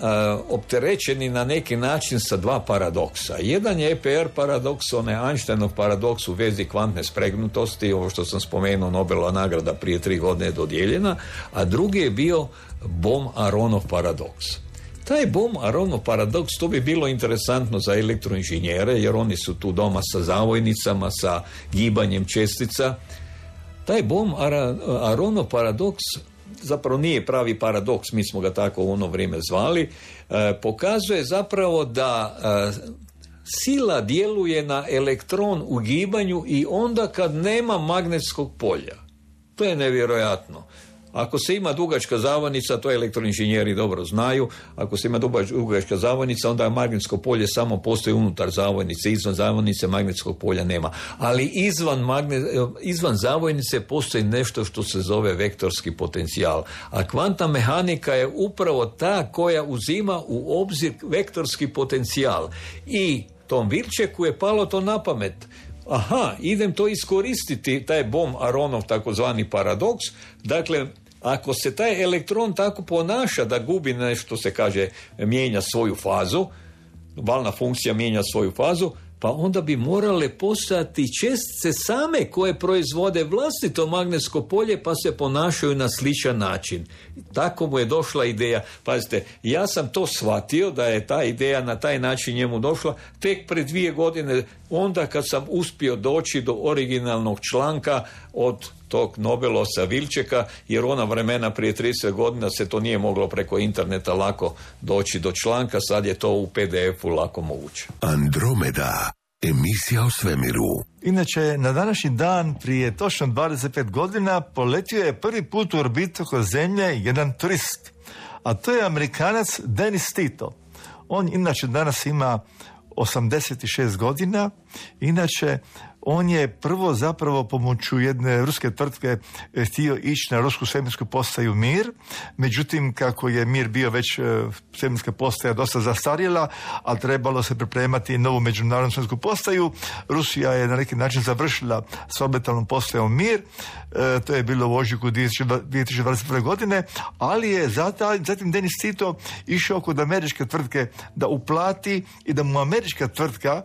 S3: opterećeni na neki način sa dva paradoksa. Jedan je E P R paradoks, onaj Einsteinov paradoks u vezi kvantne spregnutosti, ovo što sam spomenuo, Nobelova nagrada prije tri godine je dodijeljena, a drugi je bio Bohm-Aronov paradoks. Taj Bohm-Aronov paradoks, to bi bilo interesantno za elektroinženjere, jer oni su tu doma sa zavojnicama, sa gibanjem čestica. Taj Bohm-Aronov paradoks zapravo nije pravi paradoks, mi smo ga tako u ono vrijeme zvali, e, pokazuje zapravo da e, sila djeluje na elektron u gibanju i onda kad nema magnetskog polja. To je nevjerojatno. Ako se ima dugačka zavojnica, to elektroinženjeri dobro znaju, ako se ima dugačka zavojnica, onda magnetsko polje samo postoji unutar zavojnice, izvan zavojnice magnetskog polja nema. Ali izvan, magne, izvan zavojnice postoji nešto što se zove vektorski potencijal. A kvantna mehanika je upravo ta koja uzima u obzir vektorski potencijal. I tom Wilckeku je palo to na pamet. aha, idem to iskoristiti, taj Bohm-Aronov takozvani paradoks. Dakle, ako se taj elektron tako ponaša da gubi nešto, se kaže, mijenja svoju fazu, valna funkcija mijenja svoju fazu, pa onda bi morale postojati čestice same koje proizvode vlastito magnetsko polje pa se ponašaju na sličan način. Tako mu je došla ideja. Pazite, ja sam to shvatio da je ta ideja na taj način njemu došla tek pred dvije godine, onda kad sam uspio doći do originalnog članka od tog Nobelovca Vilčeka, jer ona vremena prije trideset godina se to nije moglo preko interneta lako doći do članka, sad je to u pe de efu lako moguće.
S1: Andromeda, emisija o svemiru.
S2: Inače, na današnji dan prije točno dvadeset pet godina poletio je prvi put u orbitu oko Zemlje jedan turist, a to je Amerikanac Dennis Tito. On inače danas ima osamdeset šest godina, inače on je prvo zapravo pomoću jedne ruske tvrtke htio ići na rusku svemirsku postaju Mir, međutim kako je Mir bio već svemirska postaja dosta zastarjela, a trebalo se pripremati novu međunarodnu svemirsku postaju, Rusija je na neki način završila s orbitalnom postajom Mir, e, to je bilo u ožujku dvije tisuće dvadeset prve. godine, ali je zatim, zatim Dennis Tito išao kod američke tvrtke da uplati i da mu američka tvrtka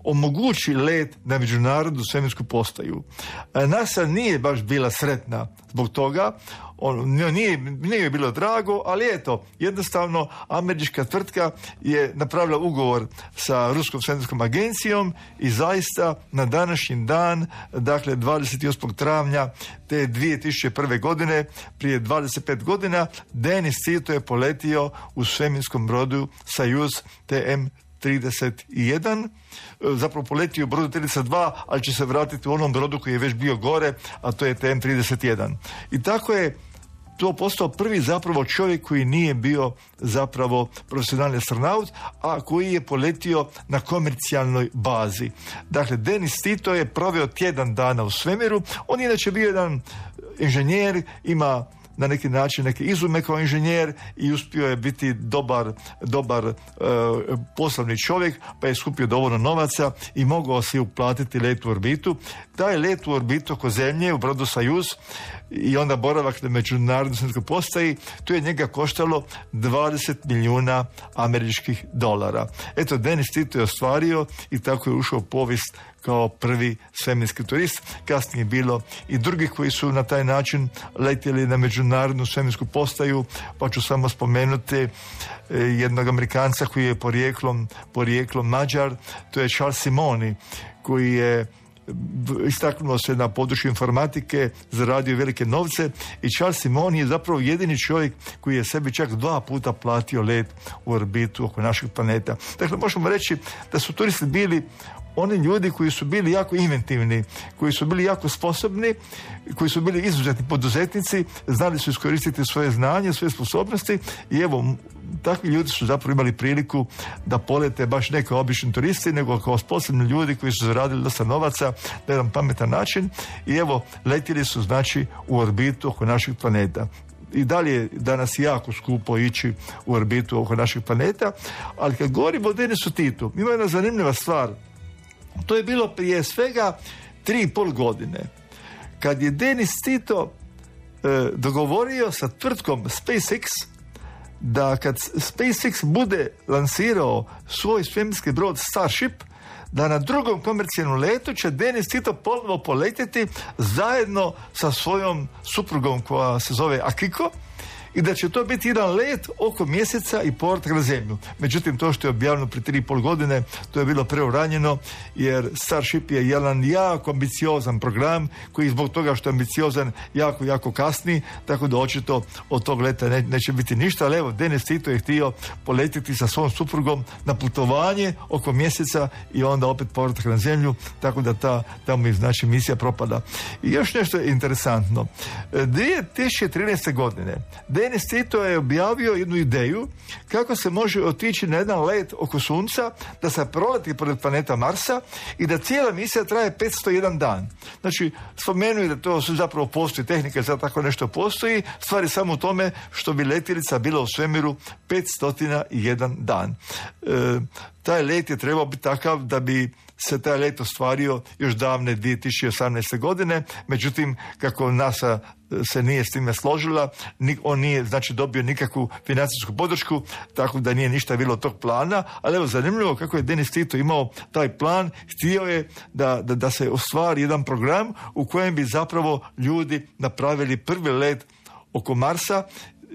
S2: omogući let na međunarodnu svemirsku postaju. NASA nije baš bila sretna zbog toga, on, nije, nije bilo drago, ali eto, jednostavno američka tvrtka je napravila ugovor sa Ruskom svemirskom agencijom i zaista na današnji dan, dakle dvadeset osmog travnja te dvije tisuće prve. godine, prije dvadeset pet godina, Dennis Tito je poletio u svemirskom brodu Sojuz T M trideset jedan, zapravo poletio u brodu trideset dva, ali će se vratiti u onom brodu koji je već bio gore, a to je T M trideset jedan. I tako je to postao prvi zapravo čovjek koji nije bio zapravo profesionalni astronaut, a koji je poletio na komercijalnoj bazi. Dakle, Dennis Tito je proveo tjedan dana u svemiru, on je inače bio jedan inženjer, ima na neki način neke izume kao inženjer i uspio je biti dobar, dobar e, poslovni čovjek, pa je skupio dovoljno novaca i mogao si uplatiti let u orbitu. Taj let u orbitu oko Zemlje u brodu Sojuz i onda boravak na međunarodnoj svemirskom postaji, to je njega koštalo dvadeset milijuna američkih dolara. Eto, Dennis Tito je ostvario i tako je ušao u povijest kao prvi svemirski turist. Kasnije je bilo i drugih koji su na taj način letjeli na međunarodnu svemirsku postaju, pa ću samo spomenuti jednog Amerikanca koji je porijeklom, porijeklom Mađar, to je Charles Simoni, koji je istaknuo se na području informatike, zaradio velike novce i Charles Simoni je zapravo jedini čovjek koji je sebi čak dva puta platio let u orbitu oko našeg planeta. Dakle, možemo reći da su turisti bili oni ljudi koji su bili jako inventivni, koji su bili jako sposobni, koji su bili izuzetni poduzetnici, znali su iskoristiti svoje znanje, svoje sposobnosti i evo, takvi ljudi su zapravo imali priliku da polete baš ne kao obični turisti, nego kao sposobni ljudi koji su zaradili dosta novaca na jedan pametan način i evo, letjeli su znači u orbitu oko našeg planeta. I dalje je danas jako skupo ići u orbitu oko našeg planeta, ali kad govorimo o Dennisu Titu, ima jedna zanimljiva stvar. To je bilo prije svega tri i pol godine, kad je Dennis Tito e, dogovorio sa tvrtkom SpaceX da kad SpaceX bude lansirao svoj svemirski brod Starship, da na drugom komercijalnom letu će Dennis Tito ponovo poletjeti zajedno sa svojom suprugom koja se zove Akiko i da će to biti jedan let oko mjeseca i povratak na Zemlju. Međutim, to što je objavljeno prije tri i pol godine, to je bilo preuranjeno, jer Starship je jedan jako ambiciozan program koji zbog toga što je ambiciozan jako, jako kasni, tako da očito od tog leta ne, neće biti ništa, ali evo, Dennis Tito je htio poletiti sa svom suprugom na putovanje oko mjeseca i onda opet povratak na Zemlju, tako da ta tamo je znači misija propada. I još nešto je interesantno. dvije tisuće trinaeste. godine Dennis Tito je objavio jednu ideju kako se može otići na jedan let oko Sunca, da se proleti pored planeta Marsa i da cijela misija traje petsto jedan dan. Znači, spomenuo da to zapravo postoji, tehnika za tako nešto postoji, stvar je samo u tome što bi letjelica bila u svemiru petsto jedan dan. E, taj let je trebao biti takav da bi se taj let ostvario još davne dvije tisuće osamnaeste. godine, međutim kako NASA se nije s time složila, on nije znači dobio nikakvu financijsku podršku, tako da nije ništa bilo od tog plana, ali evo zanimljivo kako je Denis Tito imao taj plan, htio je da, da, da se ostvari jedan program u kojem bi zapravo ljudi napravili prvi let oko Marsa,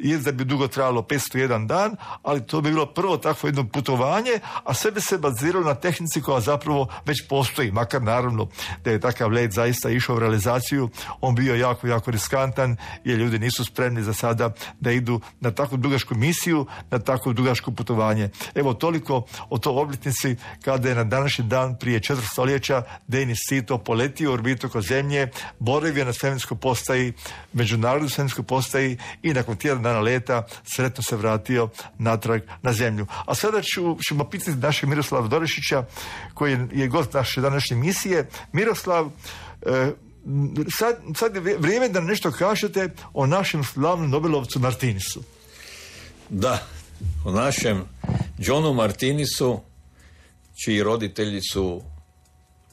S2: je da bi dugo trajalo petsto jedan dan, ali to bi bilo prvo takvo jedno putovanje, a sve bi se baziralo na tehnici koja zapravo već postoji, makar naravno da je takav let zaista išao u realizaciju, on bio jako, jako riskantan, jer ljudi nisu spremni za sada da idu na takvu dugačku misiju, na takvo dugačko putovanje. Evo toliko o toj obljetnici kada je na današnji dan prije četiri stoljeća Denis Tito poletio u orbitu oko Zemlje, boravio na svemirskoj postaji, međunarodnoj svemirskoj postaji i nakon tjedan dana leta sretno se vratio natrag na Zemlju. A sada ću, ćemo pitati našeg Miroslava Dorešića, koji je gost naše današnje misije. Miroslav, eh, sad, sad je vrijeme da nešto kažete o našem slavnom Nobelovcu Martinisu.
S3: Da, o našem Johnu Martinisu, čiji roditelji su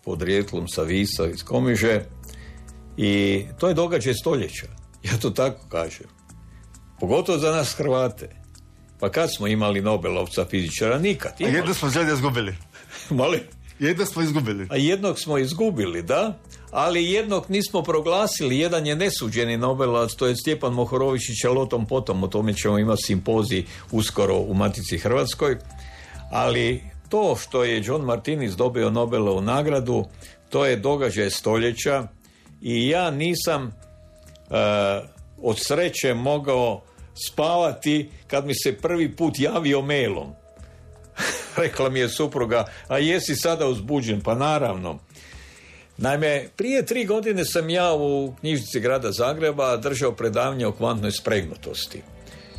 S3: podrijetlom sa Visa iz Komiže, i to je događaj stoljeća. Ja to tako kažem. Pogotovo za nas Hrvate. Pa kad smo imali Nobelovca fizičara? Nikad.
S2: Imali. A jedno smo zljede izgubili.
S3: Mali?
S2: Jedno smo izgubili.
S3: A jednog smo izgubili, da. Ali jednog nismo proglasili. Jedan je nesuđeni Nobelovac, to je Stjepan Mohorovičić, ali o tom potom. O tome ćemo imati simpozij uskoro u Matici Hrvatskoj. Ali to što je John Martinis dobio Nobelovu nagradu, to je događaj stoljeća i ja nisam uh, od sreće mogao spavati kad mi se prvi put javio mailom. Rekla mi je supruga, a jesi sada uzbuđen? Pa naravno. Naime, prije tri godine sam ja u knjižnici grada Zagreba držao predavanje o kvantnoj spregnutosti.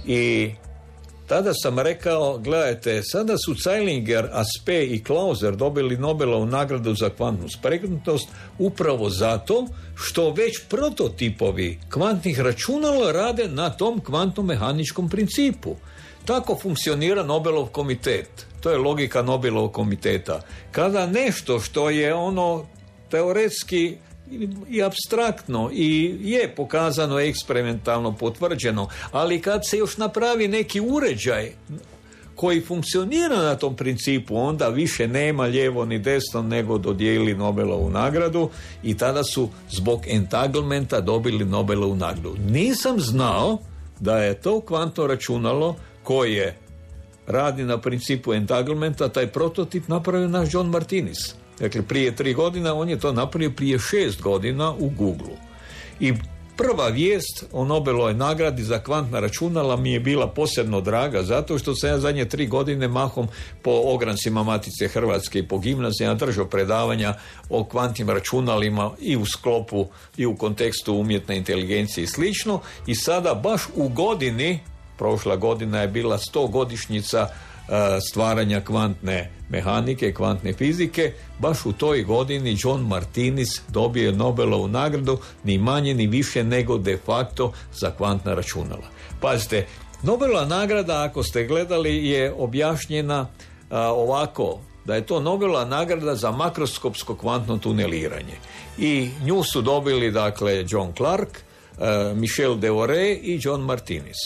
S3: I tada sam rekao, gledajte, sada su Zeilinger, Aspe i Clauser dobili Nobelovu nagradu za kvantnu spregnutost upravo zato što već prototipovi kvantnih računala rade na tom kvantno-mehaničkom principu. Tako funkcionira Nobelov komitet. To je logika Nobelovog komiteta. Kada nešto što je ono teoretski i apstraktno i je pokazano eksperimentalno potvrđeno, ali kad se još napravi neki uređaj koji funkcionira na tom principu, onda više nema lijevo ni desno nego dodijeli Nobelovu nagradu i tada su zbog entanglementa dobili Nobelovu nagradu. Nisam znao da je to kvantno računalo koje radi na principu entanglementa, taj prototip napravio naš John Martinis. Dakle, prije tri godina, on je to napravio prije šest godina u Googleu. I prva vijest o Nobelovoj nagradi za kvantna računala mi je bila posebno draga, zato što sam ja zadnje tri godine mahom po ograncima Matice Hrvatske i po gimnazijama držao predavanja o kvantnim računalima i u sklopu i u kontekstu umjetne inteligencije i slično. I sada baš u godini, prošla godina je bila stogodišnjica stvaranja kvantne mehanike, kvantne fizike, baš u toj godini John Martinis dobio je Nobelovu nagradu, ni manje ni više nego de facto za kvantna računala. Pazite, Nobelova nagrada, ako ste gledali, je objašnjena a, ovako, da je to Nobelova nagrada za makroskopsko kvantno tuneliranje. I nju su dobili, dakle, John Clark, a, Michel Deore i John Martinis.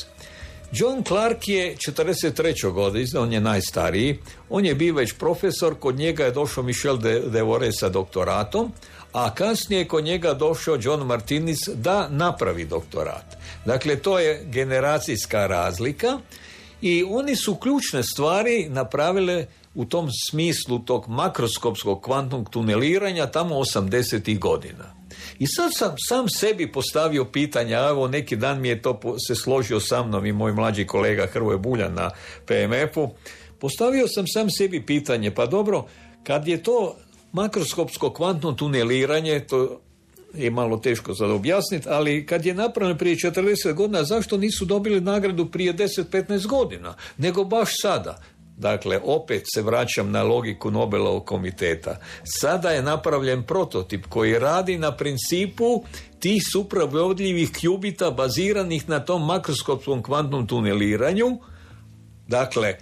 S3: John Clark je četrdeset treće godine, on je najstariji, on je bio već profesor, kod njega je došao Michel Deore sa doktoratom, a kasnije kod njega došao John Martinis da napravi doktorat. Dakle, to je generacijska razlika i oni su ključne stvari napravile u tom smislu tog makroskopskog kvantnog tuneliranja tamo osamdesetih godina. I sad sam sam sebi postavio pitanje, a evo neki dan mi je to se složio sa mnom i moj mlađi kolega Hrvoje Buljan na P M F-u, postavio sam sam sebi pitanje, pa dobro, kad je to makroskopsko kvantno tuneliranje, to je malo teško sad objasniti, ali kad je napravljeno prije četrdeset godina, zašto nisu dobili nagradu prije deset do petnaest godina, nego baš sada? Dakle, opet se vraćam na logiku Nobelovog komiteta. Sada je napravljen prototip koji radi na principu tih supravodljivih kjubita baziranih na tom makroskopskom kvantnom tuneliranju. Dakle,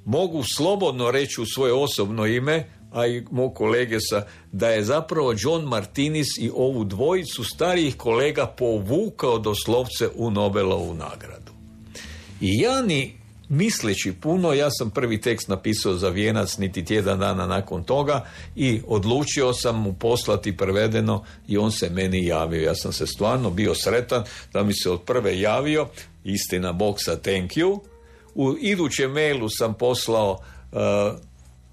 S3: mogu slobodno reći u svoje osobno ime, a i mog kolege sa, da je zapravo John Martinis i ovu dvojicu starijih kolega povukao doslovce u Nobelovu nagradu. I ja ni misleći puno, ja sam prvi tekst napisao za Vijenac niti tjedan dana nakon toga i odlučio sam mu poslati prevedeno i on se meni javio. Ja sam se stvarno bio sretan da mi se od prve javio, istina Bog sa thank you. U idućem mailu sam poslao uh,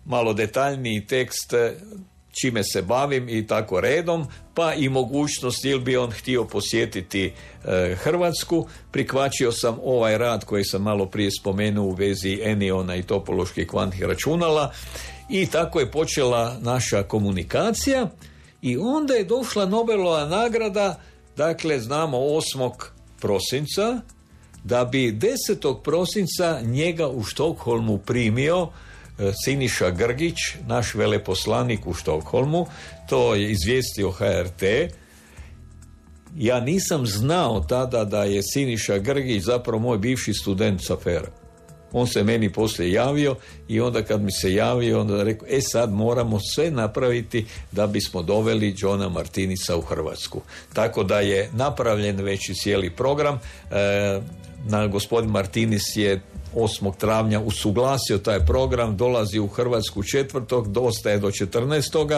S3: malo detaljniji tekst čime se bavim i tako redom, pa i mogućnost ili bi on htio posjetiti e, Hrvatsku. Prihvaćio sam ovaj rad koji sam malo prije spomenuo u vezi eniona i topoloških kvantnih računala i tako je počela naša komunikacija i onda je došla Nobelova nagrada, dakle znamo osmog prosinca, da bi desetog prosinca njega u Štokholmu primio Siniša Grgić, naš veleposlanik u Štokholmu. To je izvijestio H R T. Ja nisam znao tada da je Siniša Grgić zapravo moj bivši student sa Fera. On se meni poslije javio i onda kad mi se javio, onda je rekao, e sad moramo sve napraviti da bismo doveli Johna Martinisa u Hrvatsku. Tako da je napravljen već i cijeli program. E, na gospodin Martinis je osmog travnja usuglasio taj program, dolazi u Hrvatsku četvrtog, dostaje do četrnaestog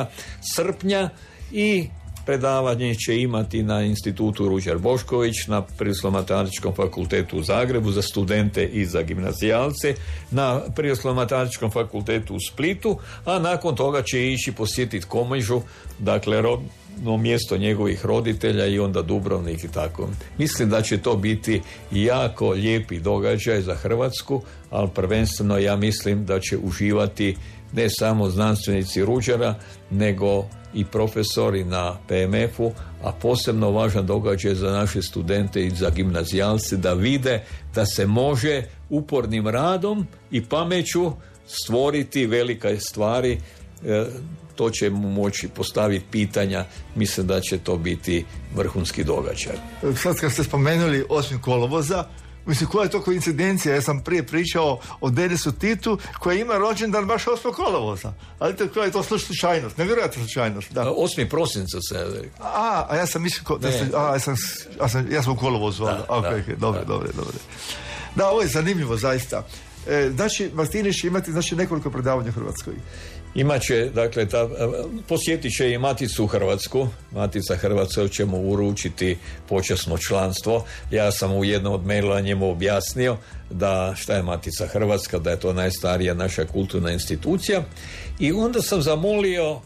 S3: srpnja i predavanje će imati na institutu Ruđer Bošković, na Prirodoslovno-matematičkom fakultetu u Zagrebu za studente i za gimnazijalce, na Prirodoslovno-matematičkom fakultetu u Splitu, a nakon toga će ići posjetiti Komižu, dakle rodno mjesto njegovih roditelja i onda Dubrovnik i tako. Mislim da će to biti jako lijepi događaj za Hrvatsku, ali prvenstveno ja mislim da će uživati ne samo znanstvenici Ruđera, nego i profesori na P M F-u, a posebno važan događaj za naše studente i za gimnazijalce da vide da se može upornim radom i pameću stvoriti velike stvari. E, to će mu moći postaviti pitanja. Mislim da će to biti vrhunski događaj.
S2: Sad kad ste spomenuli osmog kolovoza, mislim, koja je to koincidencija? Ja sam prije pričao o Denisu Titu koji ima rođendan baš osmog kolovoza. Ali to, koja je to slučajnost? Nevjerojatna slučajnost. Da.
S3: osmi prosinca se...
S2: A, a ja sam mislio... Da ste, a, ja sam, ja sam, ja sam u kolovozu. Da, da, okay, okay, dobro,
S3: da.
S2: dobro, dobro. Da, ovo je zanimljivo, zaista. E, znači, Martinis će imati znači, nekoliko predavanja u Hrvatskoj.
S3: Imaće, dakle, ta, posjetit će i Maticu u Hrvatsku. Matica Hrvatska će mu uručiti počasno članstvo. Ja sam u jednom od maila njemu objasnio da šta je Matica Hrvatska, da je to najstarija naša kulturna institucija. I onda sam zamolio uh,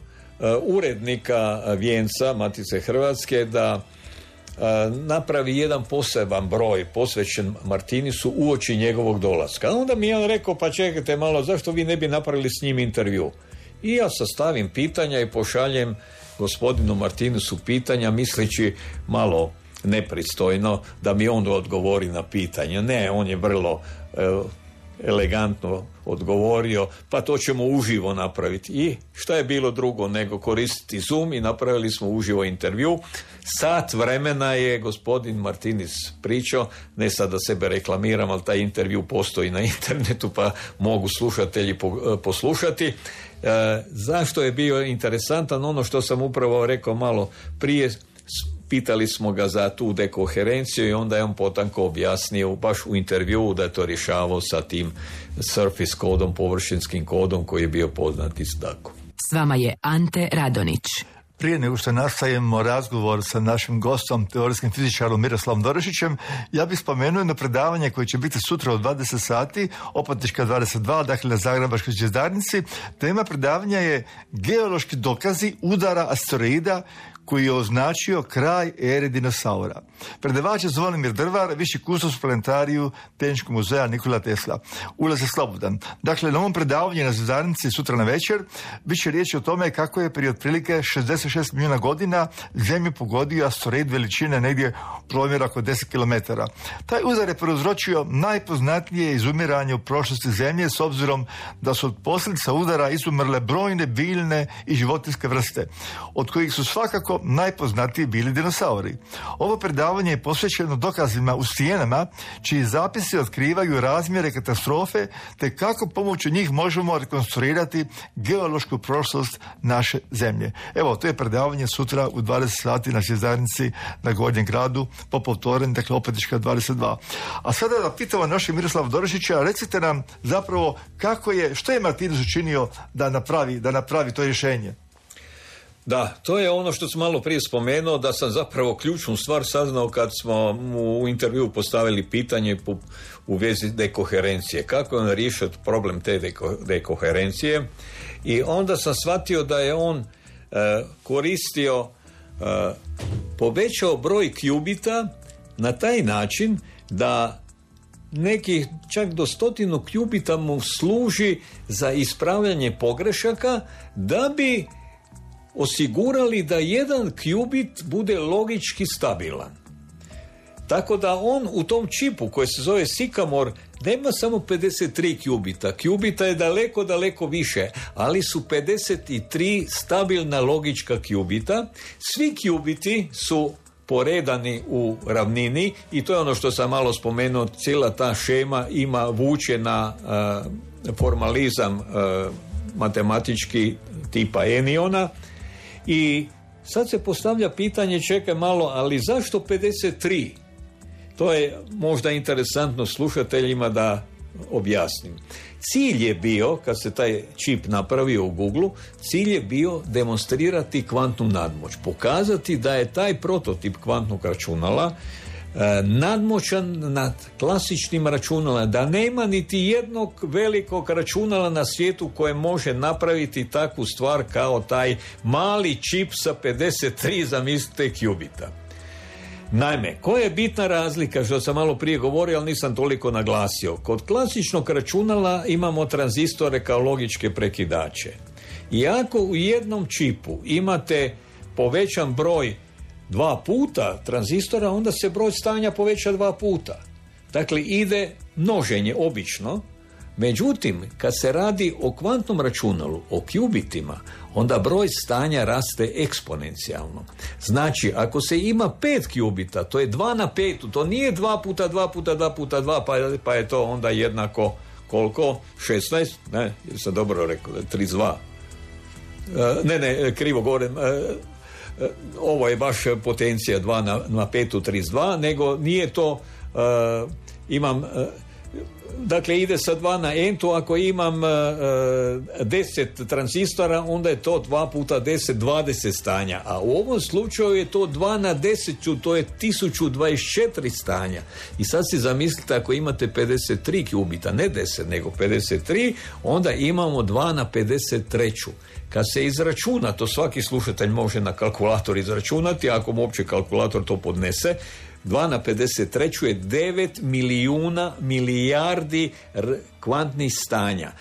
S3: urednika Vijenca Matice Hrvatske da uh, napravi jedan poseban broj posvećen Martinisu uoči njegovog dolaska. A onda mi je on rekao, pa čekajte malo, zašto vi ne bi napravili s njim intervju? I ja sastavim pitanja i pošaljem gospodinu Martinisu pitanja, misleći malo nepristojno da mi on odgovori na pitanja. Ne, on je vrlo e, elegantno odgovorio, pa to ćemo uživo napraviti. I šta je bilo drugo nego koristiti Zoom i napravili smo uživo intervju. Sat vremena je gospodin Martinis pričao, ne sad da sebe reklamiram, ali taj intervju postoji na internetu pa mogu slušatelji poslušati. E, zašto je bio interesantan? Ono što sam upravo rekao malo prije, pitali smo ga za tu dekoherenciju i onda je on potanko objasnio baš u intervjuu da je to rješavao sa tim surface kodom, površinskim kodom koji je bio poznat iz tako.
S4: S vama je Ante Radonić.
S2: Prije nego što nastavimo razgovor sa našim gostom, teorijskim fizičarom Miroslavom Dorišićem, ja bih spomenuo jedno predavanje koje će biti sutra u dvadeset sati, Opatička dvadeset dva, dakle na Zagrebačkoj zvjezdarnici. Tema predavanja je geološki dokazi udara asteroida koji je označio kraj ere dinosaura. Predavač je Zvonimir Drvar, viši kustos u planetariju Tehničkog muzeja Nikola Tesla. Ulaz je slobodan. Dakle, na ovom predavanju na zvjezdarnici sutra na večer bit će riječ o tome kako je prije otprilike šezdeset šest milijuna godina Zemlju pogodio asteroid veličine negdje promjera oko deset kilometara. Taj udar je prouzročio najpoznatnije izumiranje u prošlosti Zemlje s obzirom da su od posljedica udara izumrle brojne biljne i životinjske vrste, od kojih su svakako sigurno najpoznatiji bili dinosauri. Ovo predavanje je posvećeno dokazima u stijenama, čiji zapisi otkrivaju razmjere katastrofe, te kako pomoću njih možemo rekonstruirati geološku prošlost naše zemlje. Evo, to je predavanje sutra u dvadeset sati na zajednici na Gornjem gradu, po povtoren, dakle Opetička dvadeset dva. A sada da pitamo našeg Miroslava Dorišića, recite nam zapravo kako je, što je Martinus učinio da napravi, da napravi to rješenje?
S3: Da, to je ono što sam malo prije spomenuo, da sam zapravo ključnu stvar saznao kad smo mu u intervju postavili pitanje u vezi dekoherencije. Kako je on riješio problem te deko, dekoherencije? I onda sam shvatio da je on e, koristio, e, povećao broj kjubita na taj način da nekih čak do stotinu kjubita mu služi za ispravljanje pogrešaka, da bi osigurali da jedan kjubit bude logički stabilan. Tako da on u tom čipu koji se zove Sycamore nema samo pedeset tri kjubita. Kjubita je daleko, daleko više, ali su pedeset tri stabilna logička kjubita. Svi kjubiti su poredani u ravnini i to je ono što sam malo spomenuo, cijela ta šema ima vuče na uh, formalizam uh, matematički tipa Eniona. I sad se postavlja pitanje, čekaj malo, ali zašto pedeset tri? To je možda interesantno slušateljima da objasnim. Cilj je bio, kad se taj čip napravio u Google, cilj je bio demonstrirati kvantnu nadmoć. Pokazati da je taj prototip kvantnog računala e, nadmoćan nad klasičnim računalima, da nema niti jednog velikog računala na svijetu koje može napraviti takvu stvar kao taj mali čip sa pedeset tri, zamislite, kjubita. Naime, koja je bitna razlika, što sam malo prije govorio, ali nisam toliko naglasio. Kod klasičnog računala imamo tranzistore kao logičke prekidače. I ako u jednom čipu imate povećan broj dva puta tranzistora, onda se broj stanja poveća dva puta. Dakle, ide množenje obično. Međutim, kad se radi o kvantnom računalu, o kjubitima, onda broj stanja raste eksponencijalno. Znači, ako se ima pet kjubita, to je dva na petu, to nije dva puta dva puta dva puta dva, pa, pa je to onda jednako koliko? šesnaest? Ne, sam dobro rekao, trideset dva. E, ne, ne, krivo govorim. E, e, ovo je baš potencija dva na, na petu, trideset dva, nego nije to, e, imam... E, Dakle, ide sa dva na entu, ako imam uh, deset tranzistora, onda je to dva puta deset, dvadeset stanja. A u ovom slučaju je to dva na deset, to je tisuću dvadeset četiri stanja. I sad si zamislite, ako imate pedeset tri kjubita, ne deset, nego pedeset tri, onda imamo dva na pedeset tri. Kad se izračuna, to svaki slušatelj može na kalkulator izračunati, ako mu uopće kalkulator to podnese, dva na pedeset tri je devet milijuna milijardi r- kvantnih stanja.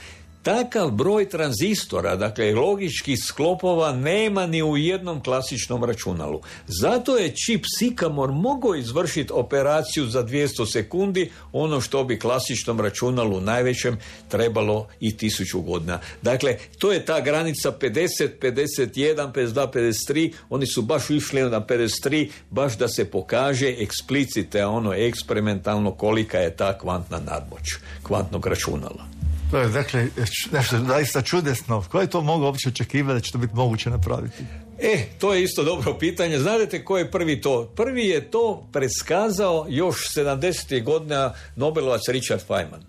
S3: Takav broj tranzistora, dakle logičkih sklopova, nema ni u jednom klasičnom računalu. Zato je čip Sycamore mogao izvršiti operaciju za dvjesto sekundi, ono što bi klasičnom računalu najvećem trebalo i tisuću godina. Dakle, to je ta granica pedeset, pedeset jedan, pedeset dva, pedeset tri, oni su baš išli na pedeset tri, baš da se pokaže eksplicite, ono eksperimentalno kolika je ta kvantna nadmoć kvantnog računala.
S2: To je, dakle, nešto zaista čudesno. Ko je to mogao uopće očekivati da će to biti moguće napraviti?
S3: E, to je isto dobro pitanje. Znate ko je prvi to? Prvi je to predskazao još sedamdesetih godina Nobelovac Richard Feynman.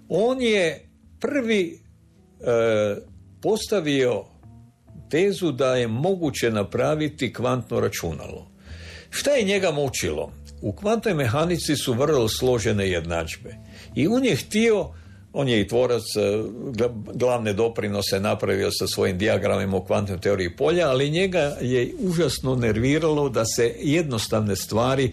S3: On je prvi e, postavio tezu da je moguće napraviti kvantno računalo. Šta je njega mučilo? U kvantnoj mehanici su vrlo složene jednadžbe. I on je htio, on je i tvorac, glavne doprinose napravio sa svojim dijagramima u kvantnoj teoriji polja, ali njega je užasno nerviralo da se jednostavne stvari e,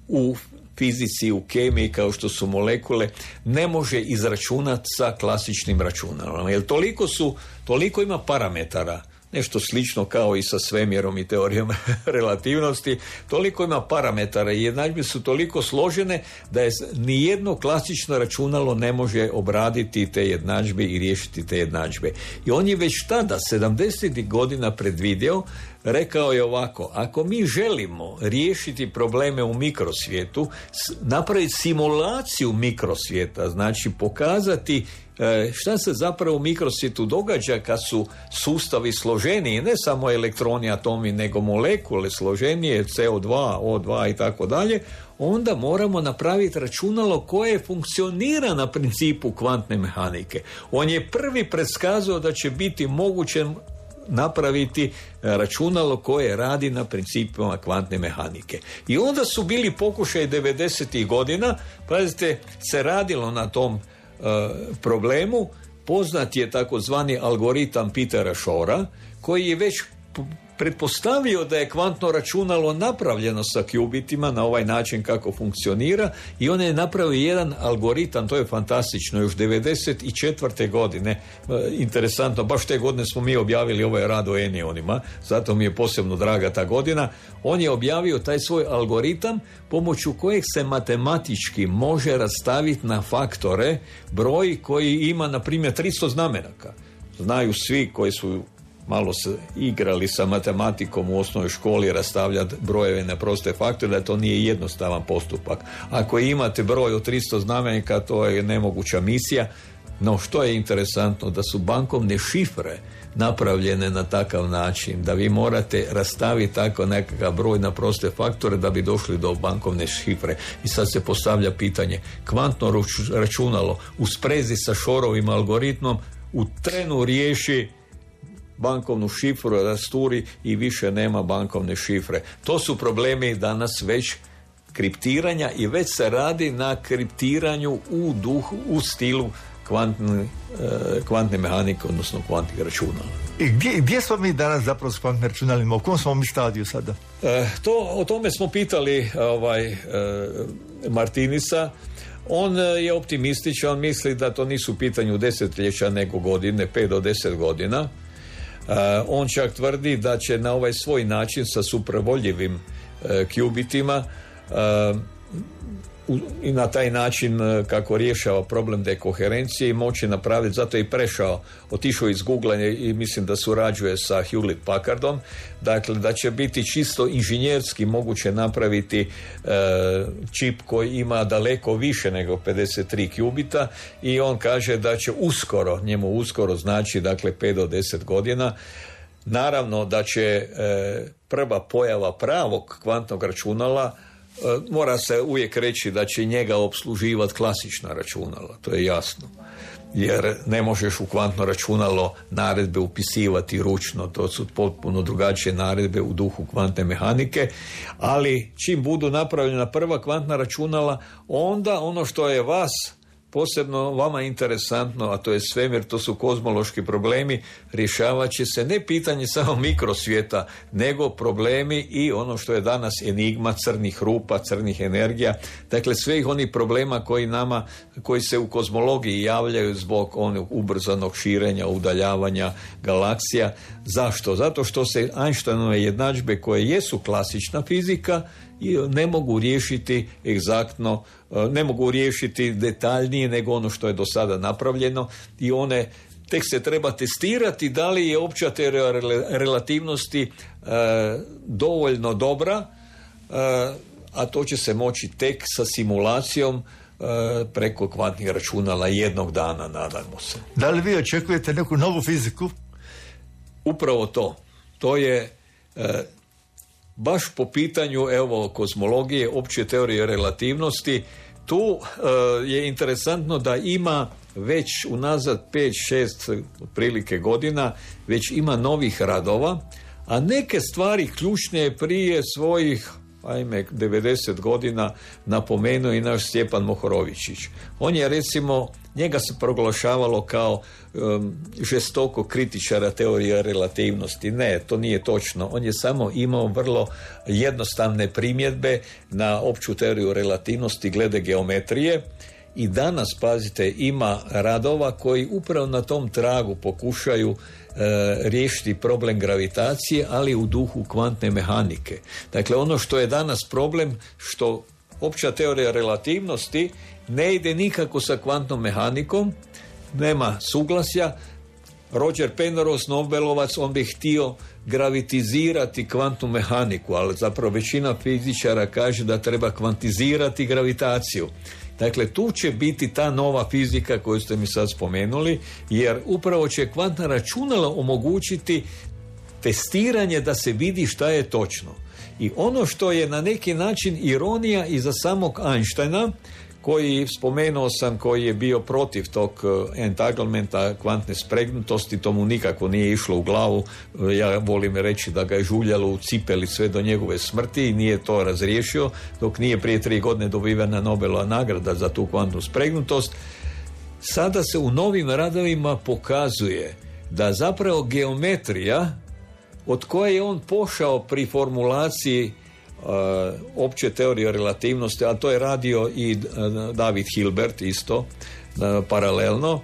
S3: u fizici, u kemiji, kao što su molekule, ne može izračunati sa klasičnim računalom. Jer toliko su, toliko ima parametara, nešto slično kao i sa svemirom i teorijom relativnosti, toliko ima parametara i jednadžbe su toliko složene da je nijedno klasično računalo ne može obraditi te jednadžbe i riješiti te jednadžbe. I on je već tada, sedamdesetih godina, predvidio rekao je ovako: ako mi želimo riješiti probleme u mikrosvijetu, napraviti simulaciju mikrosvijeta, znači pokazati šta se zapravo u mikrosvijetu događa kad su sustavi složeniji, ne samo elektroni, atomi, nego molekule složenije, C O dva, O dva i tako dalje, onda moramo napraviti računalo koje funkcionira na principu kvantne mehanike. On je prvi predskazao da će biti moguće napraviti računalo koje radi na principima kvantne mehanike. I onda su bili pokušaj devedesetih godina, pazite, se radilo na tom uh, problemu. Poznat je takozvani algoritam Petera Shora, koji je već pretpostavio da je kvantno računalo napravljeno sa kjubitima na ovaj način kako funkcionira, i on je napravio jedan algoritam, to je fantastično, još devedeset četvrte godine, interesantno, baš te godine smo mi objavili ovaj rad o enionima, zato mi je posebno draga ta godina. On je objavio taj svoj algoritam pomoću kojeg se matematički može rastaviti na faktore broj koji ima, na primjer, tristo znamenaka. Znaju svi koji su malo se igrali sa matematikom u osnovnoj školi rastavljati brojeve na proste faktore, da to nije jednostavan postupak. Ako imate broj od tristo znamenika, to je nemoguća misija. No što je interesantno, da su bankovne šifre napravljene na takav način da vi morate rastaviti tako nekakav broj na proste faktore da bi došli do bankovne šifre. I sad se postavlja pitanje, kvantno računalo u sprezi sa Shorovim algoritmom u trenu riješi bankovnu šifru, rasturi i više nema bankovne šifre. To su problemi danas već kriptiranja i već se radi na kriptiranju u duhu, u stilu kvantne, eh, kvantne mehanike, odnosno kvantnih računala.
S2: I gdje, gdje smo mi danas zapravo s kvantnim računalima? U kom smo mi stadiju sada?
S3: Eh, to, o tome smo pitali ovaj, eh, Martinisa. On je optimističan, on misli da to nisu u pitanju desetljeća nego godine, pet do deset godina. Uh, on čak tvrdi da će na ovaj svoj način sa supravoljivim uh, kjubitima uh, u, i na taj način uh, kako rješava problem dekoherencije moći napraviti, zato je i prešao, otišao iz Google i mislim da surađuje sa Hewlett Packardom, dakle da će biti čisto inženjerski moguće napraviti uh, čip koji ima daleko više nego pedeset tri kjubita, i on kaže da će uskoro, njemu uskoro znači dakle pet do deset godina, naravno da će e, prva pojava pravog kvantnog računala, e, mora se uvijek reći da će njega opsluživati klasična računala, to je jasno, jer ne možeš u kvantno računalo naredbe upisivati ručno, to su potpuno drugačije naredbe u duhu kvantne mehanike, ali čim budu napravljena prva kvantna računala, onda ono što je vas posebno vama interesantno, a to je svemir, to su kozmološki problemi, rješavat će se ne pitanje samo mikrosvijeta, nego problemi i ono što je danas enigma crnih rupa, crnih energija, dakle svih onih problema koji nama, koji se u kozmologiji javljaju zbog onog ubrzanog širenja, udaljavanja galaksija. Zašto? Zato što se Einsteinove jednadžbe, koje jesu klasična fizika, i ne mogu riješiti egzaktno, ne mogu riješiti detaljnije nego ono što je do sada napravljeno, i one tek se treba testirati da li je opća teorija relativnosti e, dovoljno dobra, e, a to će se moći tek sa simulacijom e, preko kvantnih računala jednog dana, nadamo se.
S2: Da li vi očekujete neku novu fiziku?
S3: Upravo to. To je e, baš po pitanju evo kozmologije, opće teorije relativnosti. Tu uh, je interesantno da ima već unazad pet šest otprilike godina već ima novih radova, a neke stvari ključne je prije svojih ajme devedeset godina napomenuo i naš Stjepan Mohorovičić. On je recimo, njega se proglašavalo kao um, žestoko kritičara teorije relativnosti. Ne, to nije točno. On je samo imao vrlo jednostavne primjedbe na opću teoriju relativnosti glede geometrije, i danas, pazite, ima radova koji upravo na tom tragu pokušaju e, riješiti problem gravitacije, ali u duhu kvantne mehanike. Dakle, ono što je danas problem, što opća teorija relativnosti ne ide nikako sa kvantnom mehanikom, nema suglasja, Roger Penrose, Nobelovac, on bi htio gravitizirati kvantnu mehaniku, ali zapravo većina fizičara kaže da treba kvantizirati gravitaciju. Dakle, tu će biti ta nova fizika koju ste mi sad spomenuli, jer upravo će kvantna računala omogućiti testiranje da se vidi šta je točno. I ono što je na neki način ironija iza samog Einsteina, koji, spomenuo sam, koji je bio protiv tog entanglementa, kvantne spregnutosti, to mu nikako nije išlo u glavu. Ja volim reći da ga je žuljalo u cipeli sve do njegove smrti i nije to razriješio, dok nije prije tri godine dobivena Nobelova nagrada za tu kvantnu spregnutost. Sada se u novim radovima pokazuje da zapravo geometrija, od koje je on pošao pri formulaciji Uh, opće teorije relativnosti, a to je radio i uh, David Hilbert isto uh, paralelno, uh,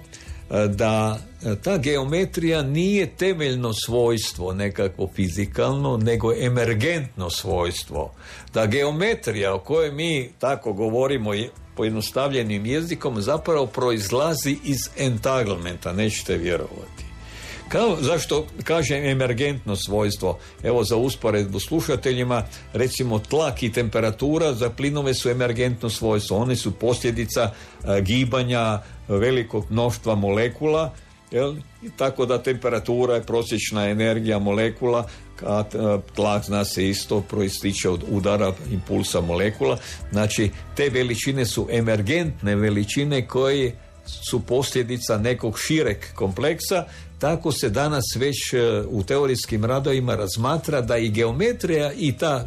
S3: da uh, ta geometrija nije temeljno svojstvo nekakvo fizikalno, nego emergentno svojstvo. Da geometrija o kojoj mi tako govorimo pojednostavljenim jezikom zapravo proizlazi iz entanglementa, nećete vjerovati. Kao, zašto kažem emergentno svojstvo? Evo, za usporedbu slušateljima, recimo tlak i temperatura za plinove su emergentno svojstvo. One su posljedica a, gibanja velikog mnoštva molekula, jel? Tako da temperatura je prosječna energija molekula, a tlak, zna se, isto proističe od udara impulsa molekula. Znači, te veličine su emergentne veličine koje su posljedica nekog šireg kompleksa. Tako se danas već u teorijskim radovima razmatra da i geometrija i ta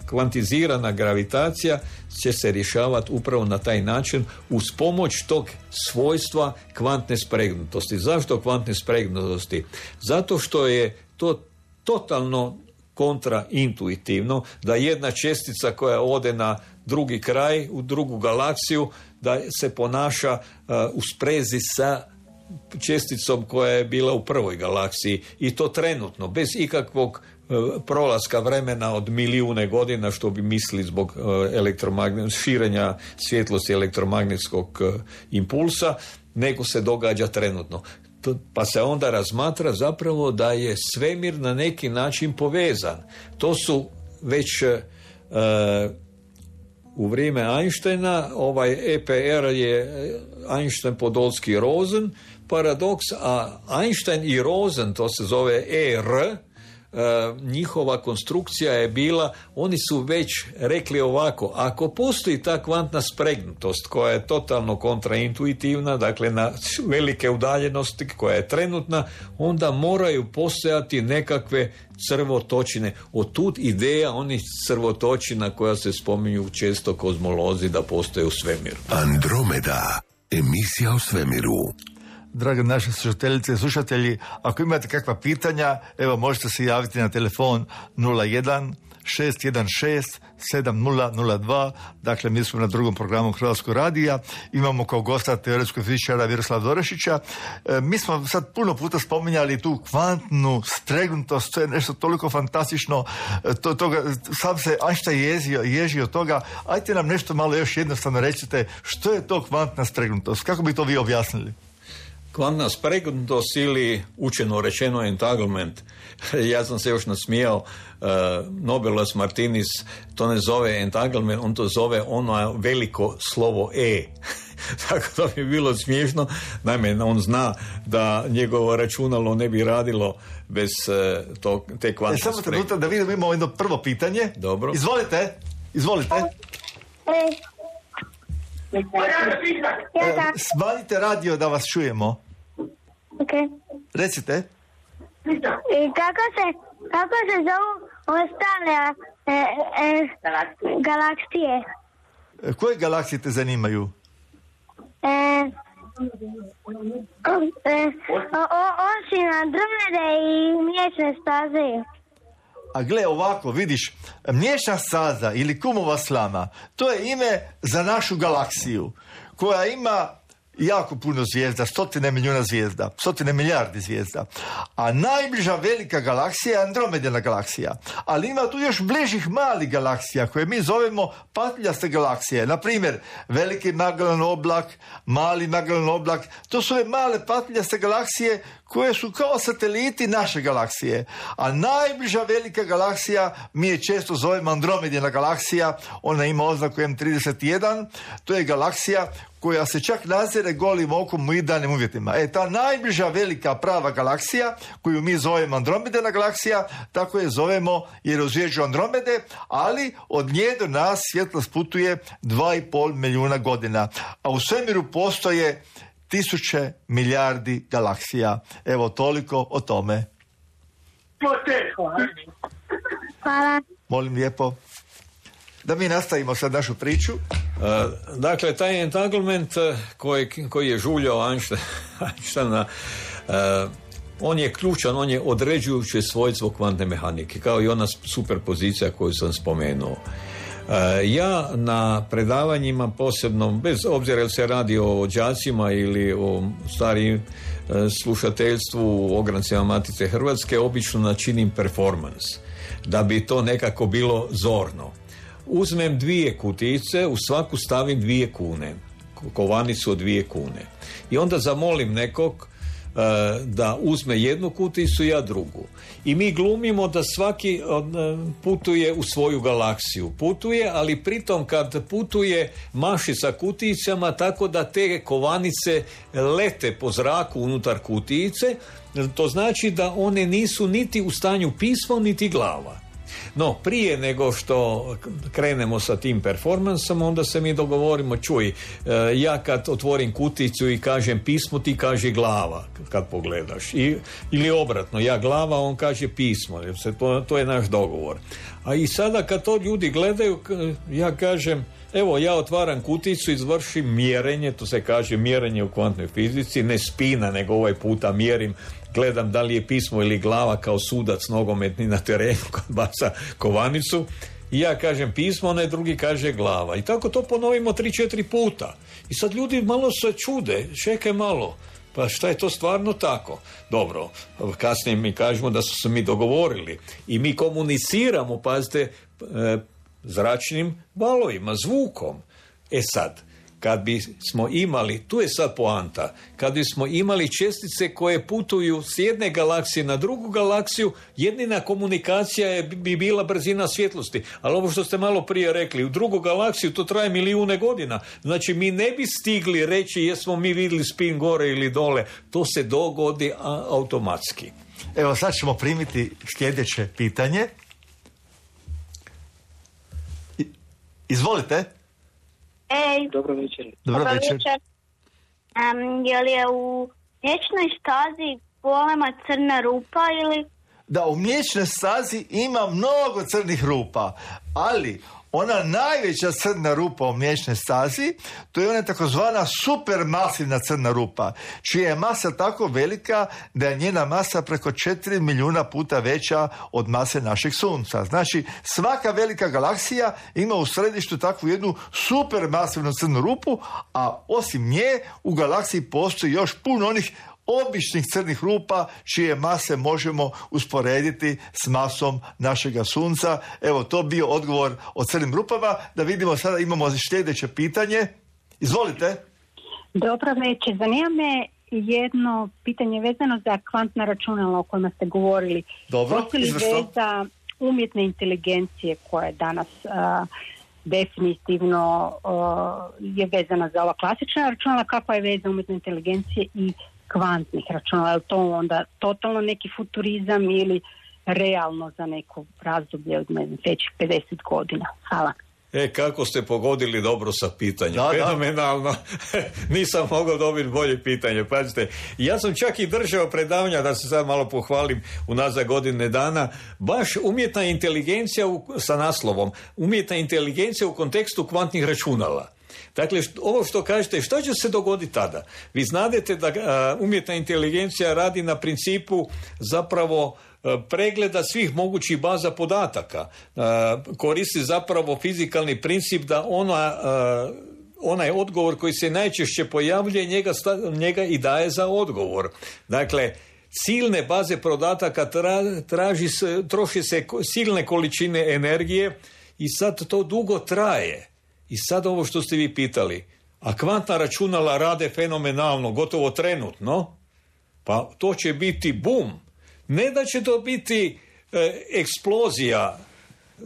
S3: kvantizirana gravitacija će se rješavati upravo na taj način uz pomoć tog svojstva kvantne spregnutosti. Zašto kvantne spregnutosti? Zato što je to totalno kontraintuitivno da jedna čestica koja ode na drugi kraj, u drugu galaksiju, da se ponaša uh, u sprezi sa česticom koja je bila u prvoj galaksiji, i to trenutno, bez ikakvog uh, prolaska vremena od milijune godina, što bi mislili zbog uh, elektromagnet, širenja svjetlosti elektromagnetskog uh, impulsa, nego se događa trenutno. Pa se onda razmatra zapravo da je svemir na neki način povezan. To su već uh, u vrijeme Einsteina, ovaj E P R je Einstein, Podolsky, Rosen paradoks, a Einstein i Rosen, to se zove E R, njihova konstrukcija je bila, oni su već rekli ovako: ako postoji ta kvantna spregnutost koja je totalno kontraintuitivna, dakle na velike udaljenosti, koja je trenutna, onda moraju postojati nekakve crvotočine. Otud ideja onih crvotočina koja se spominju često kozmolozi da postoje u svemiru.
S1: Andromeda, emisija o svemiru.
S2: Drage naše slušateljice i slušatelji, ako imate kakva pitanja, evo, možete se javiti na telefon nula jedan šest jedan šest sedam nula nula dva. Dakle, mi smo na drugom programu Hrvatskog radija. Imamo kao gosta teoretskog fizičara Miroslava Dorešića. E, mi smo sad puno puta spominjali tu kvantnu spregnutost, to je nešto toliko fantastično. E, to, toga, sam se Einstein ježio, ježi od toga. Ajte nam nešto malo još jednostavno recite, što je to kvantna spregnutost? Kako bi to vi objasnili?
S3: Kvantna spregnutost, ili učeno rečeno entanglement. Ja sam se još nasmijao, uh, Nobelovac Martinis to ne zove entanglement, on to zove ono veliko slovo E. Tako da bi bilo smiješno. Naime, on zna da njegovo računalo ne bi radilo bez uh, to, te kvantne spregnutosti. E, samo trenutak
S2: da vidimo, imamo jedno prvo pitanje.
S3: Dobro.
S2: Izvolite, izvolite. E, smanjite radio da vas čujemo.
S5: Okay.
S2: Recite.
S5: I kako se, kako se zovu ostale e, e, galaksije?
S2: Koje galaksije te zanimaju?
S5: E, e, o, o, osim Andromede i mliječne staze.
S2: A gle, ovako, vidiš, mliječna staza ili kumova slama, to je ime za našu galaksiju, koja ima jako puno zvijezda, stotine milijuna zvijezda, stotine milijardi zvijezda. A najbliža velika galaksija je Andromedina galaksija. Ali ima tu još bližih malih galaksija koje mi zovemo patljaste galaksije. Na primjer, veliki Magellan oblak, mali Magellan oblak. To su ove male patljaste galaksije koje su kao sateliti naše galaksije. A najbliža velika galaksija, mi je često zovemo Andromedina galaksija, ona ima oznaku M trideset jedan, to je galaksija koja se čak nazire golim okom u idealnim uvjetima. E, ta najbliža velika prava galaksija, koju mi zovemo Andromedina galaksija, tako je zovemo jer je u zvježđu Andromede, ali od nje do nas svjetlost putuje dva i pol milijuna godina. A u svemiru postoje tisuće milijardi galaksija. Evo, toliko o tome.
S5: Hvala.
S2: Molim lijepo. Da mi nastavimo sad našu priču.
S3: Uh, dakle, taj entanglement koji, koji je žuljao Einsteina, uh, on je ključan, on je određujuće svojstvo kvantne mehanike, kao i ona superpozicija koju sam spomenuo. Uh, ja na predavanjima posebno, bez obzira jel se radi o đacima ili o starijim uh, slušateljstvu u ograncima Matice Hrvatske, obično načinim performans, da bi to nekako bilo zorno. Uzmem dvije kutice, u svaku stavim dvije kune, kovanicu od dvije kune. I onda zamolim nekog uh, da uzme jednu kuticu, ja drugu. I mi glumimo da svaki uh, putuje u svoju galaksiju. Putuje, ali pritom kad putuje maši sa kuticama tako da te kovanice lete po zraku unutar kutice, to znači da one nisu niti u stanju pismo, niti glava. No, prije nego što krenemo sa tim performansom, onda se mi dogovorimo, čuj, ja kad otvorim kuticu i kažem pismo, ti kaže glava, kad pogledaš. I, ili obratno, ja glava, on kaže pismo. To, to je naš dogovor. A i sada kad to ljudi gledaju, ja kažem, evo, ja otvaram kuticu, izvršim mjerenje, to se kaže mjerenje u kvantnoj fizici, ne spina, nego ovaj puta mjerim, gledam da li je pismo ili glava kao sudac nogometni na terenu kad baca kovanicu. I ja kažem pismo, onaj drugi kaže glava. I tako to ponovimo tri, četiri puta. I sad ljudi malo se čude, čekaj malo, pa šta je to stvarno tako? Dobro, kasnije mi kažemo da su se mi dogovorili. I mi komuniciramo, pazite, zračnim valovima, zvukom. E sad, kad bismo imali, tu je sad poanta, kad bismo imali čestice koje putuju s jedne galaksije na drugu galaksiju, jedina komunikacija je, bi bila brzina svjetlosti. Ali ovo što ste malo prije rekli, u drugu galaksiju to traje milijune godina. Znači mi ne bi stigli reći jesmo mi vidjeli spin gore ili dole. To se dogodi a, automatski.
S2: Evo sad ćemo primiti sljedeće pitanje. I, izvolite.
S5: Ej.
S6: Dobro večer.
S2: Dobro večer.
S5: Um, je li je u mliječnoj stazi golema crna rupa ili...
S2: Da, u mliječnoj stazi ima mnogo crnih rupa, ali ona najveća crna rupa u mliječnoj stazi, to je ona takozvana supermasivna crna rupa, čija je masa tako velika da je njena masa preko četiri milijuna puta veća od mase našeg sunca. Znači, svaka velika galaksija ima u središtu takvu jednu supermasivnu crnu rupu, a osim nje u galaksiji postoji još puno onih običnih crnih rupa čije mase možemo usporediti s masom našega sunca. Evo, to bio odgovor o crnim rupama. Da vidimo, sada imamo sljedeće pitanje. Izvolite.
S7: Dobro večer. Zanima me jedno pitanje vezano za kvantna računala o kojima ste govorili.
S2: Dobro,
S7: postoji li veza umjetne inteligencije koja je danas uh, definitivno uh, je vezana za ova klasična računala, kakva je veza umjetne inteligencije i kvantnih računala? Je li to onda totalno neki futurizam ili realno za neko razdoblje od sljedećih pedeset godina? Hvala.
S3: E, kako ste pogodili dobro sa pitanjem.
S2: Da,
S3: fenomenalno. Nisam mogao dobiti bolje pitanje. Pazite, ja sam čak i držao predavanja, da se sad malo pohvalim, unazad godine dana, baš umjetna inteligencija u, sa naslovom umjetna inteligencija u kontekstu kvantnih računala. Dakle, ovo što kažete, što će se dogoditi tada? Vi znadete da a, umjetna inteligencija radi na principu zapravo a, pregleda svih mogućih baza podataka. A, koristi zapravo fizikalni princip da ona a, onaj odgovor koji se najčešće pojavljuje, njega, njega i daje za odgovor. Dakle, silne baze podataka tra, traži se, troši se silne količine energije i sad to dugo traje. I sad ovo što ste vi pitali, a kvantna računala rade fenomenalno, gotovo trenutno, pa to će biti bum. Ne da će to biti e, eksplozija,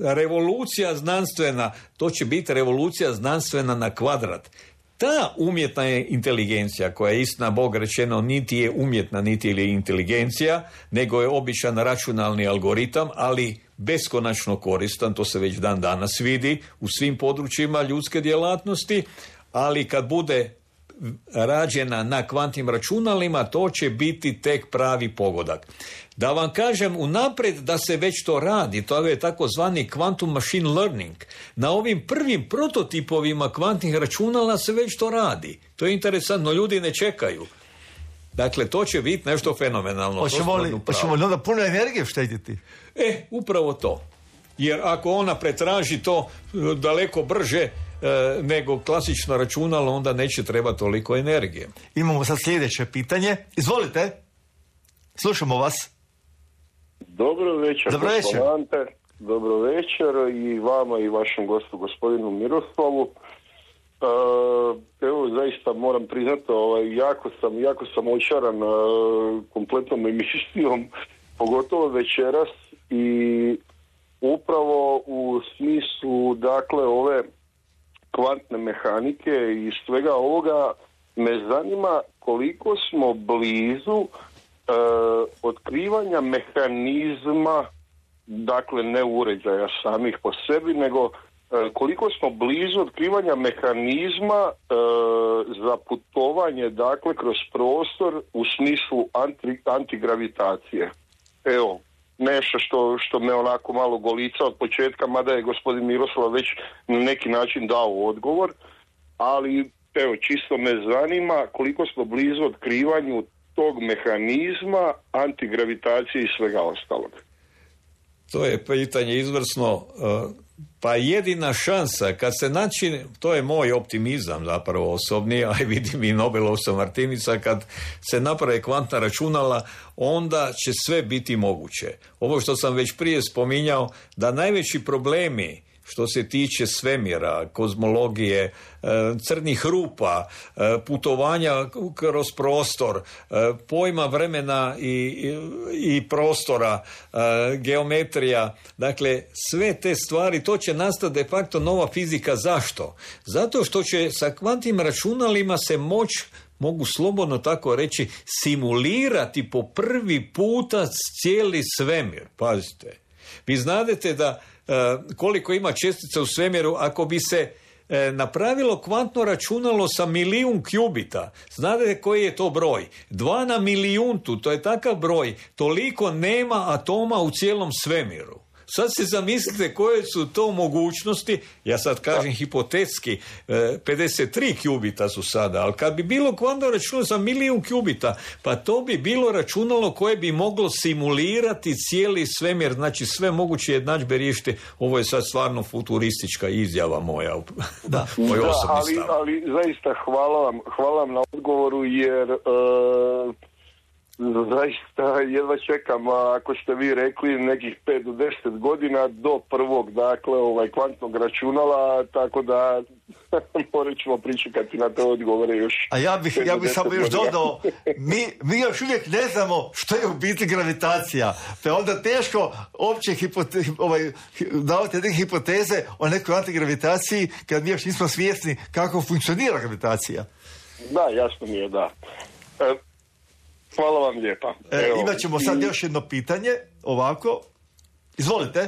S3: revolucija znanstvena, to će biti revolucija znanstvena na kvadrat. Ta umjetna je inteligencija, koja je istina Bog rečeno niti je umjetna, niti je inteligencija, nego je običan računalni algoritam, ali beskonačno koristan, to se već dan danas vidi u svim područjima ljudske djelatnosti, ali kad bude rađena na kvantnim računalima, to će biti tek pravi pogodak. Da vam kažem unaprijed da se već to radi, to je takozvani quantum machine learning. Na ovim prvim prototipovima kvantnih računala se već to radi. To je interesantno, ljudi ne čekaju. Dakle, to će biti nešto fenomenalno.
S2: Hoćemo li, hoćemo li onda puno energije štediti?
S3: E, upravo to. Jer ako ona pretraži to daleko brže e, nego klasično računalo, onda neće treba toliko energije.
S2: Imamo sad sljedeće pitanje. Izvolite. Slušamo vas.
S6: Dobro večer.
S2: Dobro večer.
S6: Ante. Dobro večer i vama i vašem gostu gospodinu Miroslavu. Uh, evo, zaista moram priznati, ovaj, jako sam, jako sam očaran uh, kompletnom emisijom, pogotovo večeras, i upravo u smislu, dakle, ove kvantne mehanike i svega ovoga me zanima koliko smo blizu uh, otkrivanja mehanizma, dakle ne uređaja samih po sebi, nego koliko smo blizu otkrivanja mehanizma e, za putovanje, dakle, kroz prostor u smislu anti, antigravitacije. Evo, nešto što, što me onako malo golica od početka, mada je gospodin Miroslav već na neki način dao odgovor, ali evo, čisto me zanima koliko smo blizu otkrivanju tog mehanizma, antigravitacije i svega ostalog.
S3: To je pitanje izvrsno. Pa jedina šansa, kad se naći, to je moj optimizam zapravo osobni, a vidim i Nobelovca Martinica, kad se naprave kvantna računala, onda će sve biti moguće. Ovo što sam već prije spominjao, da najveći problemi što se tiče svemira, kozmologije, crnih rupa, putovanja kroz prostor, pojma vremena i, i, i prostora, geometrija, dakle sve te stvari, to će nastati de facto nova fizika. Zašto? Zato što će sa kvantnim računalima se moć, mogu slobodno tako reći, simulirati po prvi puta cijeli svemir. Pazite, vi znadete da koliko ima čestica u svemiru, ako bi se e, napravilo kvantno računalo sa milijun kjubita, znate koji je to broj? Dva na milijuntu, to je takav broj, toliko nema atoma u cijelom svemiru. Sad se zamislite koje su to mogućnosti, ja sad kažem hipotetski, pedeset tri kjubita su sada, ali kad bi bilo kvantno računalo za milijun kjubita, pa to bi bilo računalo koje bi moglo simulirati cijeli svemir, znači sve moguće jednadžbe riješiti. Ovo je sad stvarno futuristička izjava moja, da, moj
S6: da,
S3: osobni
S6: ali,
S3: stav.
S6: ali zaista hvala vam, hvala vam na odgovoru, jer uh... zaista jedva čekam, ako ste vi rekli, nekih pet do deset godina do prvog, dakle, ovaj kvantnog računala, tako da morat ćemo pričekati na te odgovore još.
S2: A ja bih, ja bih samo još dodao, mi, mi još uvijek ne znamo što je u biti gravitacija, pa onda teško opće hipote, ovaj, davati neke hipoteze o nekoj antigravitaciji kad mi još nismo svjesni kako funkcionira gravitacija.
S6: Da, jasno mi je, da. E, Hvala vam lijepa.
S2: E, imat ćemo sad još jedno pitanje, ovako. Izvolite.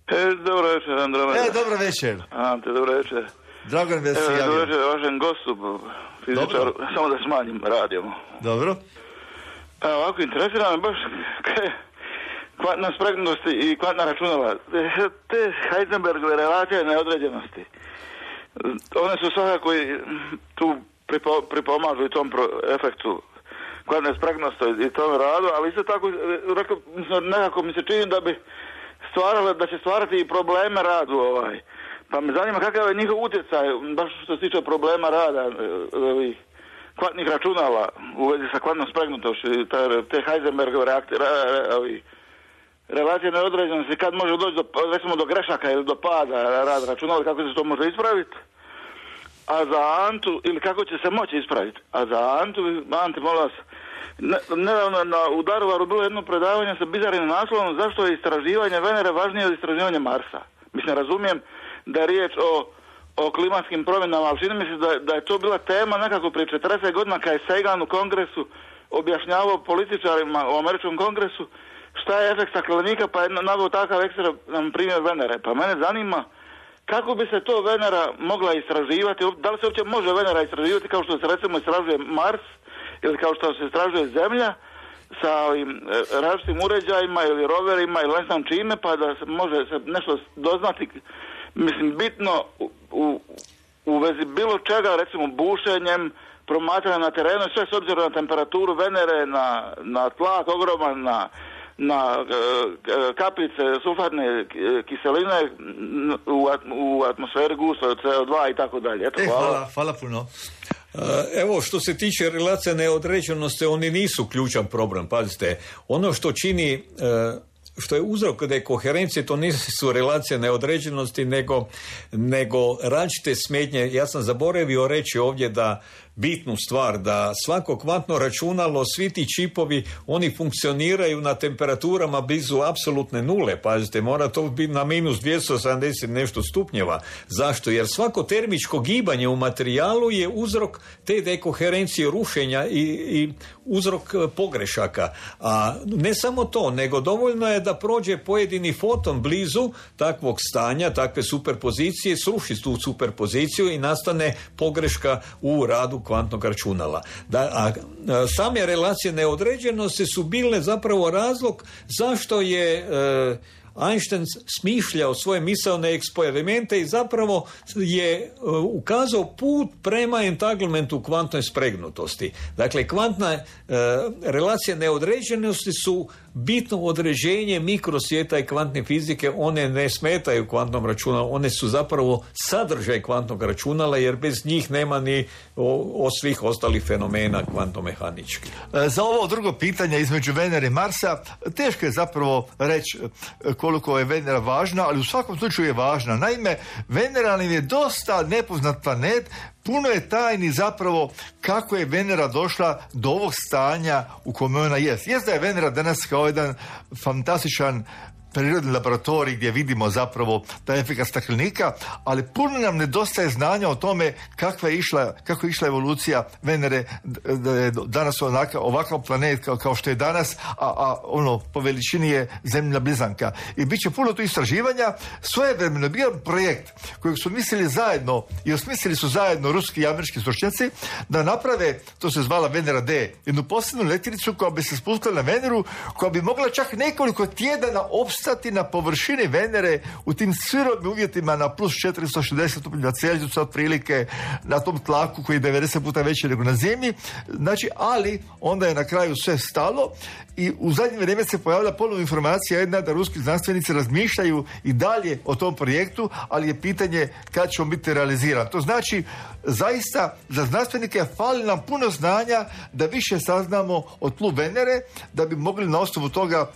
S8: E, dobro večer, Andromeda.
S2: E, dobro večer.
S8: Ante, dobro večer.
S2: Drago mi da se javio.
S8: Dobro večer vašem gostu, fizičaru, samo da smanjim radijom.
S2: Dobro.
S8: A, ovako, interesira me baš kvantna spretnost i kvantna računala. Te, te Heisenbergove relacije neodređenosti. One su svakako tu pripo, pripomažu i tom pro, efektu kvantne spretnosti i tome radu, ali isto tako rekao, nekako mi se čini da bi stvarale, da će stvarati i probleme radu ovaj. Pa me zanima kakav je njihov utjecaj, baš što se tiče problema rada ovih kvantnih računala u vezi sa kvantnom spregnutošću, te Heisenbergove reakcije, ovi relacije neodređenosti, kad može doći do, recimo, do grešaka ili do pada rad računala, kako se to može ispraviti. A za Antu, ili kako će se moći ispraviti. A za Antu, Ante, molim vas, nedavno na, u Daruvaru bilo jedno predavanje sa bizarnim naslovom zašto je istraživanje Venere važnije od istraživanja Marsa. Mislim, razumijem da je riječ o, o klimatskim promjenama, ali čini mi se da, da je to bila tema nekako prije četrdeset godina kad je Sagan u kongresu objašnjavao političarima u američkom kongresu šta je efekt staklenika, pa je naveo takav ekstrem primjer Venere. Pa mene zanima kako bi se to Venera mogla istraživati, da li se uopće može Venera istraživati kao što se recimo istražuje Mars ili kao što se istražuje Zemlja sa ovim različitim uređajima ili roverima ili ne znam čime, pa da se može se nešto doznati, mislim, bitno u, u, u vezi bilo čega, recimo bušenjem, promatranja na terenu, sve s obzirom na temperaturu Venere, na, na tlak ogroman, na na e, kapljice sulfatne kiseline u, u atmosferi gusto C O dva i tako dalje. Eto, hvala.
S2: E, hvala, hvala puno.
S3: Evo, što se tiče relacije neodređenosti, oni nisu ključan problem, pazite. Ono što čini, što je uzrok da je koherencije, to nisu relacije neodređenosti, nego, nego različite smetnje. Ja sam zaboravio reći ovdje da bitnu stvar, da svako kvantno računalo, svi ti čipovi, oni funkcioniraju na temperaturama blizu apsolutne nule. Pazite, mora to biti na minus dvjesto sedamdeset nešto stupnjeva. Zašto? Jer svako termičko gibanje u materijalu je uzrok te dekoherencije, rušenja i, i uzrok pogrešaka. A ne samo to, nego dovoljno je da prođe pojedini foton blizu takvog stanja, takve superpozicije, sruši tu superpoziciju i nastane pogreška u radu kvantnog računala. Da, a, a same relacije neodređenosti su bile zapravo razlog zašto je e, Einstein smišljao svoje misaone eksperimente i zapravo je uh, ukazao put prema entanglementu kvantnoj spregnutosti. Dakle, kvantna uh, relacije neodređenosti su bitno određenje mikrosvijeta i kvantne fizike. One ne smetaju kvantnom računalu, one su zapravo sadržaj kvantnog računala, jer bez njih nema ni o, o svih ostalih fenomena kvantomehaničkih.
S2: Za ovo drugo pitanje između Venere i Marsa, teško je zapravo reći koliko je Venera važna, ali u svakom slučaju je važna. Naime, Venera nam je dosta nepoznat planet, puno je tajni zapravo kako je Venera došla do ovog stanja u kome ona jest. Jest da je Venera danas kao jedan fantastičan prirodni laboratorij gdje vidimo zapravo taj efekt staklenika, ali puno nam nedostaje znanja o tome kakva je išla, kako je išla evolucija Venere, da je danas onaka, ovakav planet kao, kao što je danas, a, a ono po veličini je zemlja blizanka. I bit će puno tu istraživanja. Svojevremeno bio projekt kojeg su mislili zajedno i osmislili su zajedno ruski i američki stručnjaci da naprave, to se zvala Venera D, jednu posebnu letjelicu koja bi se spustila na Veneru, koja bi mogla čak nekoliko tjedana opstati na površini Venere u tim sirovim uvjetima na plus četiristo šezdeset stupnjeva Celzijusa otprilike, na tom tlaku koji je devedeset puta veći nego na Zemlji. Znači, ali onda je na kraju sve stalo i u zadnje vrijeme se pojavila ponovna informacija jedna da ruski znanstvenici razmišljaju i dalje o tom projektu, ali je pitanje kad će on biti realiziran. To znači, zaista za znanstvenike fali nam puno znanja da više saznamo o tlu Venere, da bi mogli na osnovu toga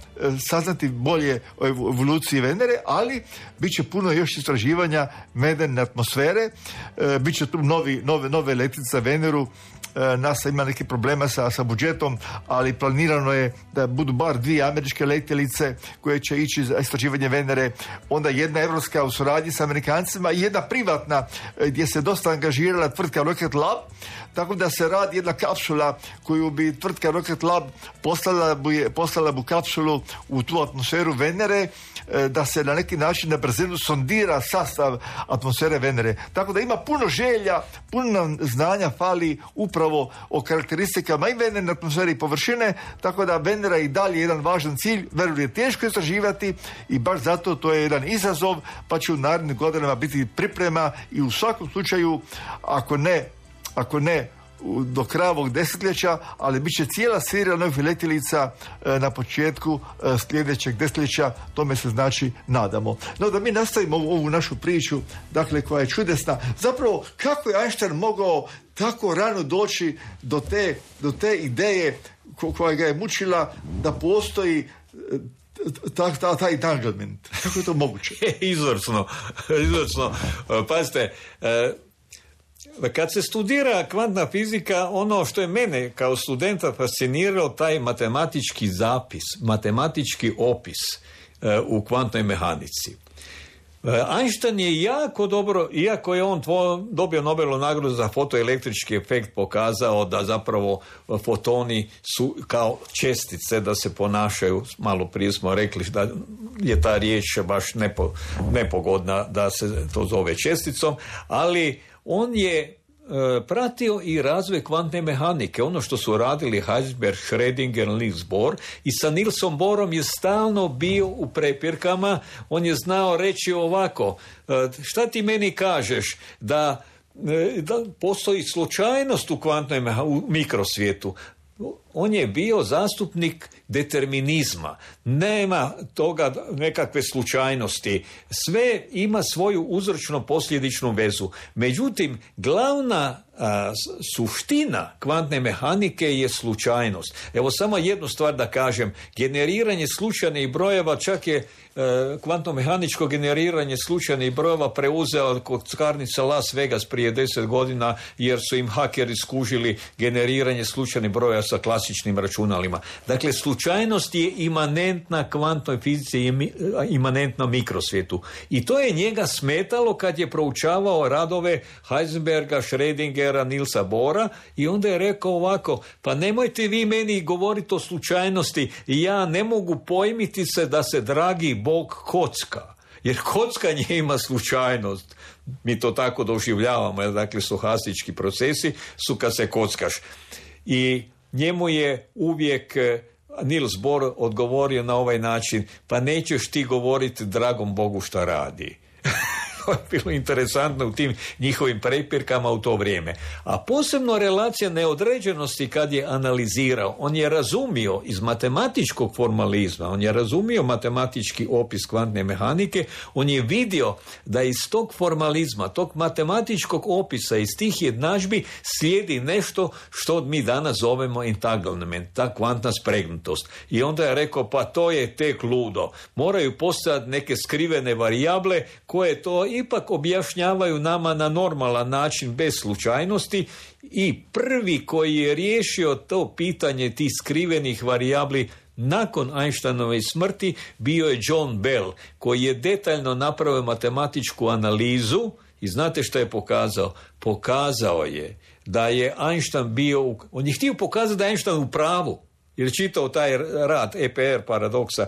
S2: saznati bolje o evoluciji Venere, ali bit će puno još istraživanja medene atmosfere, e, bit će tu novi, nove, nove letjelice za Veneru. E, NASA ima neke problema sa, sa budžetom, ali planirano je da budu bar dvije američke letjelice koje će ići za istraživanje Venere, onda jedna evropska u suradnji sa Amerikancima i jedna privatna gdje se dosta angažirala tvrtka Rocket Lab, tako da se radi jedna kapsula koju bi tvrtka Rocket Lab poslala bi, poslala bi kapsulu u tu atmosferu Venere, da se na neki način na brzinu sondira sastav atmosfere Venere. Tako da ima puno želja, puno znanja fali upravo o karakteristikama i Venere atmosfere i površine, tako da Venera i dalje jedan važan cilj. Veneru je teško istraživati i baš zato to je jedan izazov, pa će u narednim godinama biti priprema i u svakom slučaju, ako ne ako ne do kraja ovog desetljeća, ali bit će cijela serija novih letjelica na početku sljedećeg desetljeća, tome se znači nadamo. No da mi nastavimo ovu, ovu našu priču, dakle koja je čudesna. Zapravo, kako je Einstein mogao tako rano doći do te, do te ideje koja ga je mučila da postoji ta, ta, taj entanglement? Kako je to moguće?
S3: Izvrsno, izvrsno. Pazite, kad se studira kvantna fizika, ono što je mene kao studenta fasciniralo, taj matematički zapis, matematički opis u kvantnoj mehanici. Einstein je jako dobro, iako je on tvo, dobio Nobelovu nagradu za fotoelektrički efekt, pokazao da zapravo fotoni su kao čestice, da se ponašaju, malo prije smo rekli da je ta riječ baš nepo, nepogodna da se to zove česticom, ali on je pratio i razvoj kvantne mehanike, ono što su radili Heisenberg, Schrödinger, Niels Bohr, i sa Nielsom Bohrom je stalno bio u prepirkama. On je znao reći ovako, šta ti meni kažeš da, da postoji slučajnost u kvantnoj meha, u mikrosvijetu. On je bio zastupnik determinizma. Nema toga nekakve slučajnosti. Sve ima svoju uzročno-posljedičnu vezu. Međutim, glavna a, suština kvantne mehanike je slučajnost. Evo samo jednu stvar da kažem. Generiranje slučajnih brojeva, čak je e, kvantno-mehaničko generiranje slučajnih brojeva preuzeo kockarnica Las Vegas prije deset godina, jer su im hakeri skužili generiranje slučajnih brojeva sa klasičnim računalima. Dakle, slučajnost je imanentna kvantnoj fizici i imanentna mikrosvijetu. I to je njega smetalo kad je proučavao radove Heisenberga, Schrödingera, Nielsa Bohra, i onda je rekao ovako, pa nemojte vi meni govoriti o slučajnosti, ja ne mogu pojmiti se da se dragi Bog kocka. Jer kockanje ima slučajnost. Mi to tako doživljavamo, jer dakle stohastički procesi su kad se kockaš. I njemu je uvijek Niels Bohr odgovorio na ovaj način, pa nećeš ti govoriti dragom Bogu šta radi. To je bilo interesantno u tim njihovim prepirkama u to vrijeme. A posebno relacija neodređenosti kad je analizirao, on je razumio iz matematičkog formalizma, on je razumio matematički opis kvantne mehanike, on je vidio da iz tog formalizma, tog matematičkog opisa, iz tih jednadžbi slijedi nešto što mi danas zovemo entanglement, ta kvantna spregnutost. I onda je rekao, pa to je tek ludo. Moraju postojati neke skrivene varijable koje to ipak objašnjavaju nama na normalan način bez slučajnosti, i prvi koji je riješio to pitanje tih skrivenih varijabli nakon Einsteinove smrti bio je John Bell, koji je detaljno napravio matematičku analizu i znate što je pokazao? Pokazao je da je Einstein bio, u... on je htio pokazati da je Einstein u pravu, jer je čitao taj rad E P R paradoksa.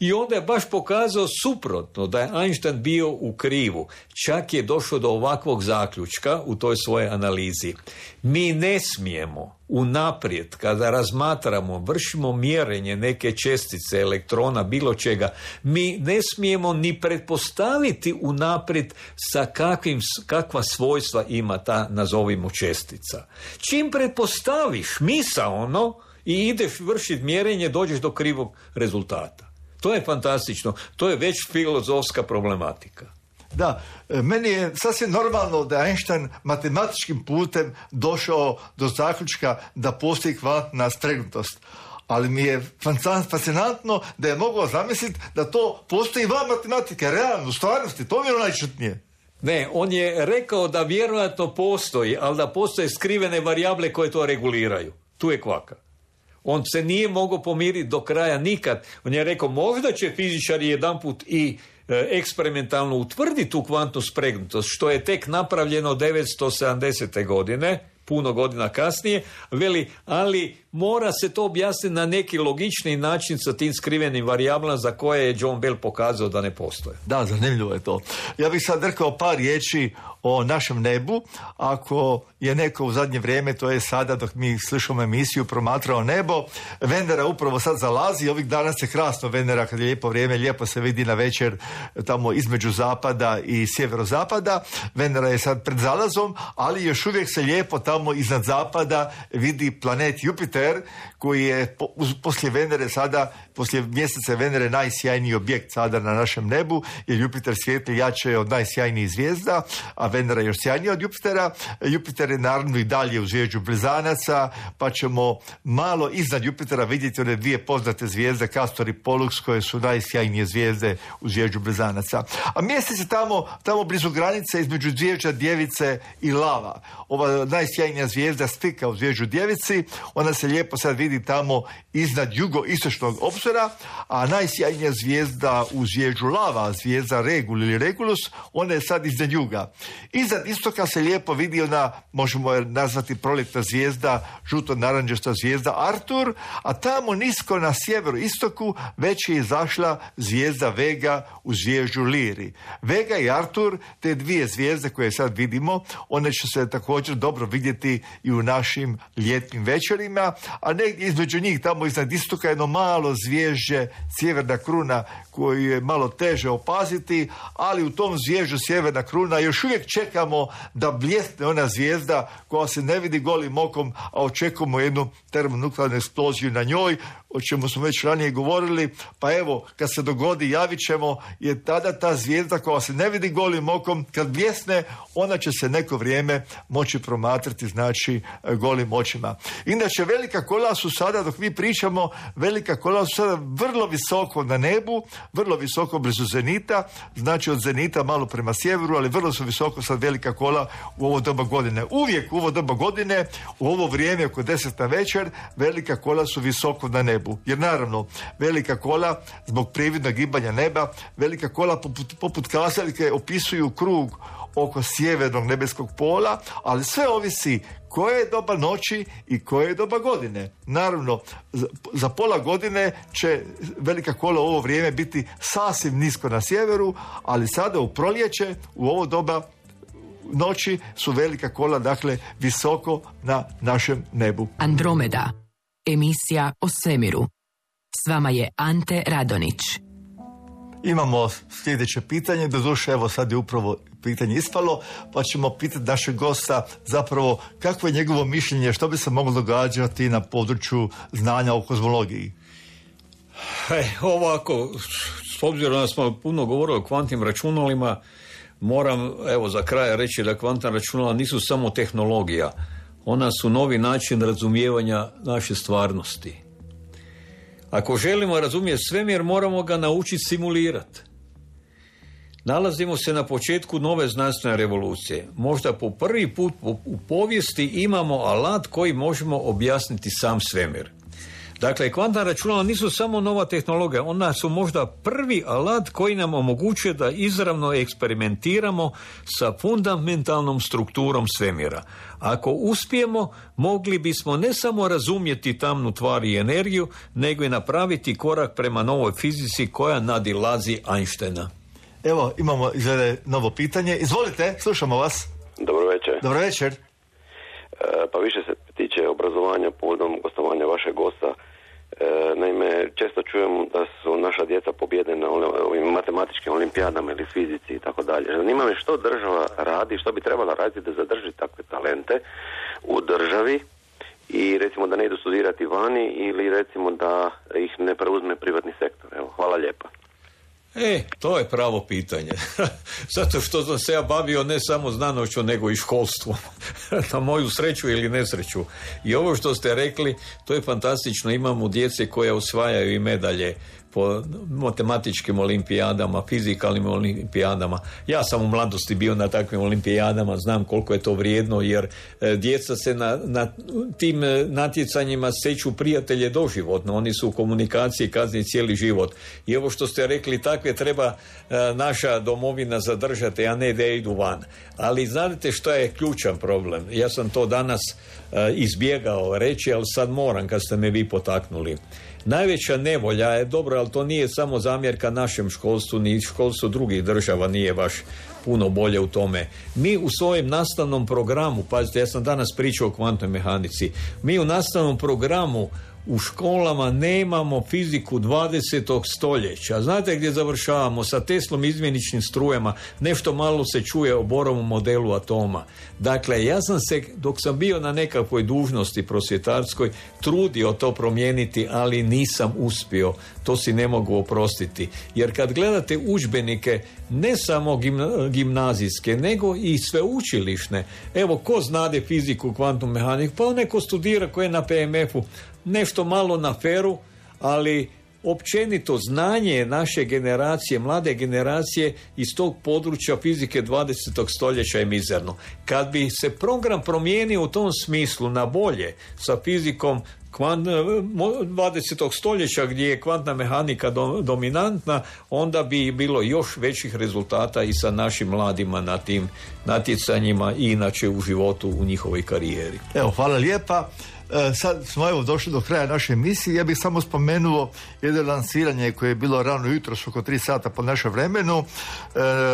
S3: I onda je baš pokazao suprotno, da je Einstein bio u krivu. Čak je došao do ovakvog zaključka u toj svojoj analizi. Mi ne smijemo unaprijed, kada razmatramo, vršimo mjerenje neke čestice, elektrona, bilo čega, mi ne smijemo ni pretpostaviti unaprijed sa kakvim, kakva svojstva ima ta, nazovimo, čestica. Čim pretpostaviš misaono i ideš vršiti mjerenje, dođeš do krivog rezultata. To je fantastično. To je već filozofska problematika.
S2: Da, meni je sasvim normalno da je Einstein matematičkim putem došao do zaključka da postoji kvantna spregnutost. Ali mi je fascinantno da je mogao zamisliti da to postoji van matematike, realno, u stvarnosti. To mi je najčutnije.
S3: Ne, on je rekao da vjerojatno postoji, ali da postoje skrivene varijable koje to reguliraju. Tu je kvaka. On se nije mogao pomiriti do kraja nikad. On je rekao, možda će fizičari jedanput i e, eksperimentalno utvrditi tu kvantnu spregnutost, što je tek napravljeno devetsto sedamdesete godine, puno godina kasnije, veli, ali mora se to objasniti na neki logični način sa tim skrivenim varijablama za koje je John Bell pokazao da ne postoje.
S2: Da, zanimljivo je to. Ja bih sad rekao par riječi o našem nebu. Ako je neko u zadnje vrijeme, to je sada dok mi slušamo emisiju, promatrao nebo, Venera upravo sad zalazi, ovih dana se krasno Venera, kad je lijepo vrijeme, lijepo se vidi na večer tamo između zapada i sjeverozapada. Venera je sad pred zalazom, ali još uvijek se lijepo tamo iznad zapada vidi planet Jupiter, koji je po, poslije Venere sada, poslije mjeseca Venere najsjajniji objekt sada na našem nebu, jer Jupiter svijetli jače od najsjajnijih zvijezda, a Venera je još sjajnija od Jupitera. Jupiter je naravno i dalje u zvijezdu Blizanaca, pa ćemo malo iznad Jupitera vidjeti one dvije poznate zvijezde, Castor i Pollux, koje su najsjajnije zvijezde u zvijezdu Blizanaca. A mjesec je tamo, tamo blizu granice između zvijezda Djevice i Lava. Ova najsjajnija zvijezda Stika u zvijezdu Djevici, ona se lijepo sad vidi tamo iznad jugoistočnog obzora, a najsjajnija zvijezda u zvijezdu Lava, zvijezda Regul ili Regulus, ona je sad iznad juga. Iznad istoka se lijepo vidi ona, možemo je nazvati proljetna zvijezda, žuto-naranđasta zvijezda Artur, a tamo nisko na sjeveru istoku već je izašla zvijezda Vega u zvijezdu Liri. Vega i Artur, te dvije zvijezde koje sad vidimo, one će se također dobro vidjeti i u našim ljetnim večerima, a negdje između njih, tamo iznad istoka, jedno malo zvježđe, Sjeverna kruna, koju je malo teže opaziti, ali u tom zvježđu Sjeverna kruna još uvijek čekamo da bljesne ona zvijezda koja se ne vidi golim okom, a očekujemo jednu termonuklearnu eksploziju na njoj, o čemu smo već ranije govorili, pa evo, kad se dogodi, javit ćemo, je tada ta zvijezda koja se ne vidi golim okom, kad bljesne, ona će se neko vrijeme moći promatrati, znači, golim očima. Inače, velika kola su sada, dok mi pričamo, velika kola su sada vrlo visoko na nebu, vrlo visoko blizu zenita, znači od zenita malo prema sjeveru, ali vrlo su visoko sad velika kola u ovo doba godine. Uvijek u ovo doba godine, u ovo vrijeme oko deset na večer, velika kola su visoko na nebu. Jer naravno, velika kola, zbog prividnog gibanja neba, velika kola poput, poput kazaljke opisuju krug oko sjevernog nebeskog pola, ali sve ovisi koje je doba noći i koje je doba godine. Naravno, za, za pola godine će velika kola u ovo vrijeme biti sasvim nisko na sjeveru, ali sada u proljeće, u ovo doba noći, su velika kola, dakle, visoko na našem nebu.
S4: Andromeda, emisija o svemiru. S vama je Ante Radonić.
S2: Imamo sljedeće pitanje, doduše evo sad je upravo pitanje ispalo, pa ćemo pitati našeg gosta zapravo kakvo je njegovo mišljenje, što bi se moglo događati na području znanja o kozmologiji.
S3: E, ovako, s obzirom da smo puno govorili o kvantnim računalima, moram evo za kraj reći da kvantna računala nisu samo tehnologija, ona su novi način razumijevanja naše stvarnosti. Ako želimo razumjeti svemir, moramo ga naučiti simulirati. Nalazimo se na početku nove znanstvene revolucije. Možda po prvi put u povijesti imamo alat koji možemo objasniti sam svemir. Dakle, kvantna računala nisu samo nova tehnologija, ona su možda prvi alat koji nam omogućuje da izravno eksperimentiramo sa fundamentalnom strukturom svemira. Ako uspijemo, mogli bismo ne samo razumjeti tamnu tvar i energiju, nego i napraviti korak prema novoj fizici koja nadilazi Einsteina.
S2: Evo, imamo izgleda novo pitanje. Izvolite, slušamo vas.
S9: Dobro večer.
S2: Dobro večer.
S9: E, pa više se tiče obrazovanja povodom gostovanja vašeg gosta. E, naime, često čujem da su naša djeca pobjede na ovim matematičkim olimpijadama ili fizici i tako dalje. Zanima me što država radi, što bi trebala raditi da zadrži takve talente u državi i recimo da ne idu studirati vani ili recimo da ih ne preuzme privatni sektor. Evo, hvala lijepa.
S3: E, to je pravo pitanje. Zato što sam se ja bavio ne samo znanošću, nego i školstvom. Na moju sreću ili nesreću. I ovo što ste rekli, to je fantastično. Imamo djece koje osvajaju i medalje po matematičkim olimpijadama, fizikalnim olimpijadama. Ja sam u mladosti bio na takvim olimpijadama, znam koliko je to vrijedno, jer e, djeca se na, na tim natjecanjima seću prijatelje doživotno. Oni su u komunikaciji kasnije cijeli život. I ovo što ste rekli, takve treba e, naša domovina zadržati, a ne da idu van. Ali znate što je ključan problem? Ja sam to danas e, izbjegao reći, ali sad moram kad ste me vi potaknuli. Najveća nevolja je dobro, ali to nije samo zamjerka našem školstvu, ni školstvu drugih država nije baš puno bolje u tome. Mi u svojem nastavnom programu, pazite, ja sam danas pričao o kvantnoj mehanici, mi u nastavnom programu u školama nemamo fiziku dvadesetog stoljeća. Znate gdje završavamo? Sa Teslom izmjeničnim strujama. Nešto malo se čuje o Borovom modelu atoma. Dakle, ja sam se, dok sam bio na nekakvoj dužnosti prosvjetarskoj, trudio to promijeniti, ali nisam uspio. To si ne mogu oprostiti. Jer kad gledate udžbenike, ne samo gimna, gimnazijske, nego i sveučilišne. Evo, ko znade fiziku, kvantnu mehaniku? Pa neko studira ko je na P M F-u. Nešto malo na feru, ali općenito znanje naše generacije, mlade generacije iz tog područja fizike dvadesetog stoljeća je mizerno. Kad bi se program promijenio u tom smislu na bolje sa fizikom dvadesetog stoljeća gdje je kvantna mehanika do, dominantna, onda bi bilo još većih rezultata i sa našim mladima na tim natjecanjima i inače u životu u njihovoj karijeri.
S2: Evo, hvala lijepa. E, sad smo evo došli do kraja naše emisije. Ja bih samo spomenuo jedno lansiranje koje je bilo rano jutro, oko tri sata po našem vremenu. E,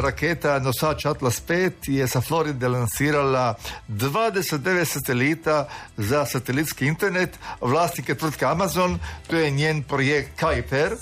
S2: raketa nosač Atlas pet je sa Floride lansirala dvadeset devet satelita za satelitski internet. Vlasnik je tvrtka Amazon, to je njen projekt Kuiper.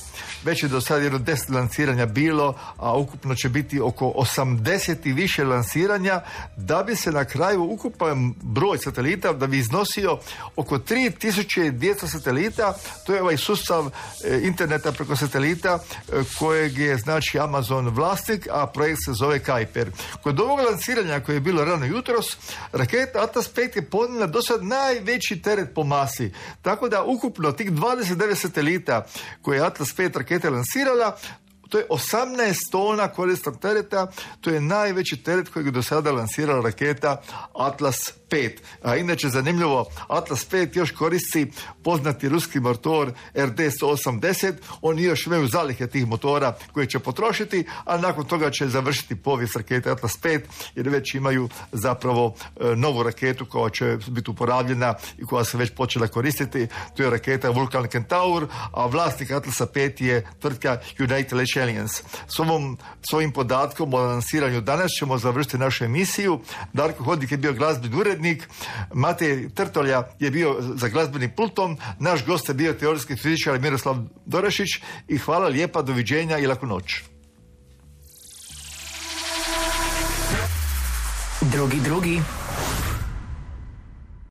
S2: Već je do sad jedno deset lansiranja bilo, a ukupno će biti oko osamdeset i više lansiranja, da bi se na kraju ukupan broj satelita da bi iznosio oko tri tisuće dvjesto satelita. To je ovaj sustav e, interneta preko satelita e, kojeg je znači Amazon vlasnik, a projekt se zove Kuiper. Kod ovog lansiranja koje je bilo rano jutros, raketa Atlas pet je podnijela do sad najveći teret po masi. Tako da ukupno tih dvadeset devet satelita koje je Atlas pet raketa lansirala, to je osamnaest tona korisnog tereta, to je najveći teret kojeg je do sada lansirala raketa Atlas pet. A inače, zanimljivo, Atlas pet još koristi poznati ruski motor R D sto osamdeset, oni još imaju zalihe tih motora koje će potrošiti, a nakon toga će završiti povijest rakete Atlas pet, jer već imaju zapravo e, novu raketu koja će biti uporabljena i koja se već počela koristiti. To je raketa Vulcan Centaur, a vlasnik Atlasa pet je tvrtka United Launch Alliance. S ovom svojim podatkom o lansiranju danas ćemo završiti našu emisiju. Darko Hodnik je bio glazbeni urednik, Matej Trtolja je bio za glazbenim pultom, naš gost je bio teorijski fizičar Miroslav Dorešić i hvala lijepa, doviđenja i laku noć.
S4: Drugi, drugi.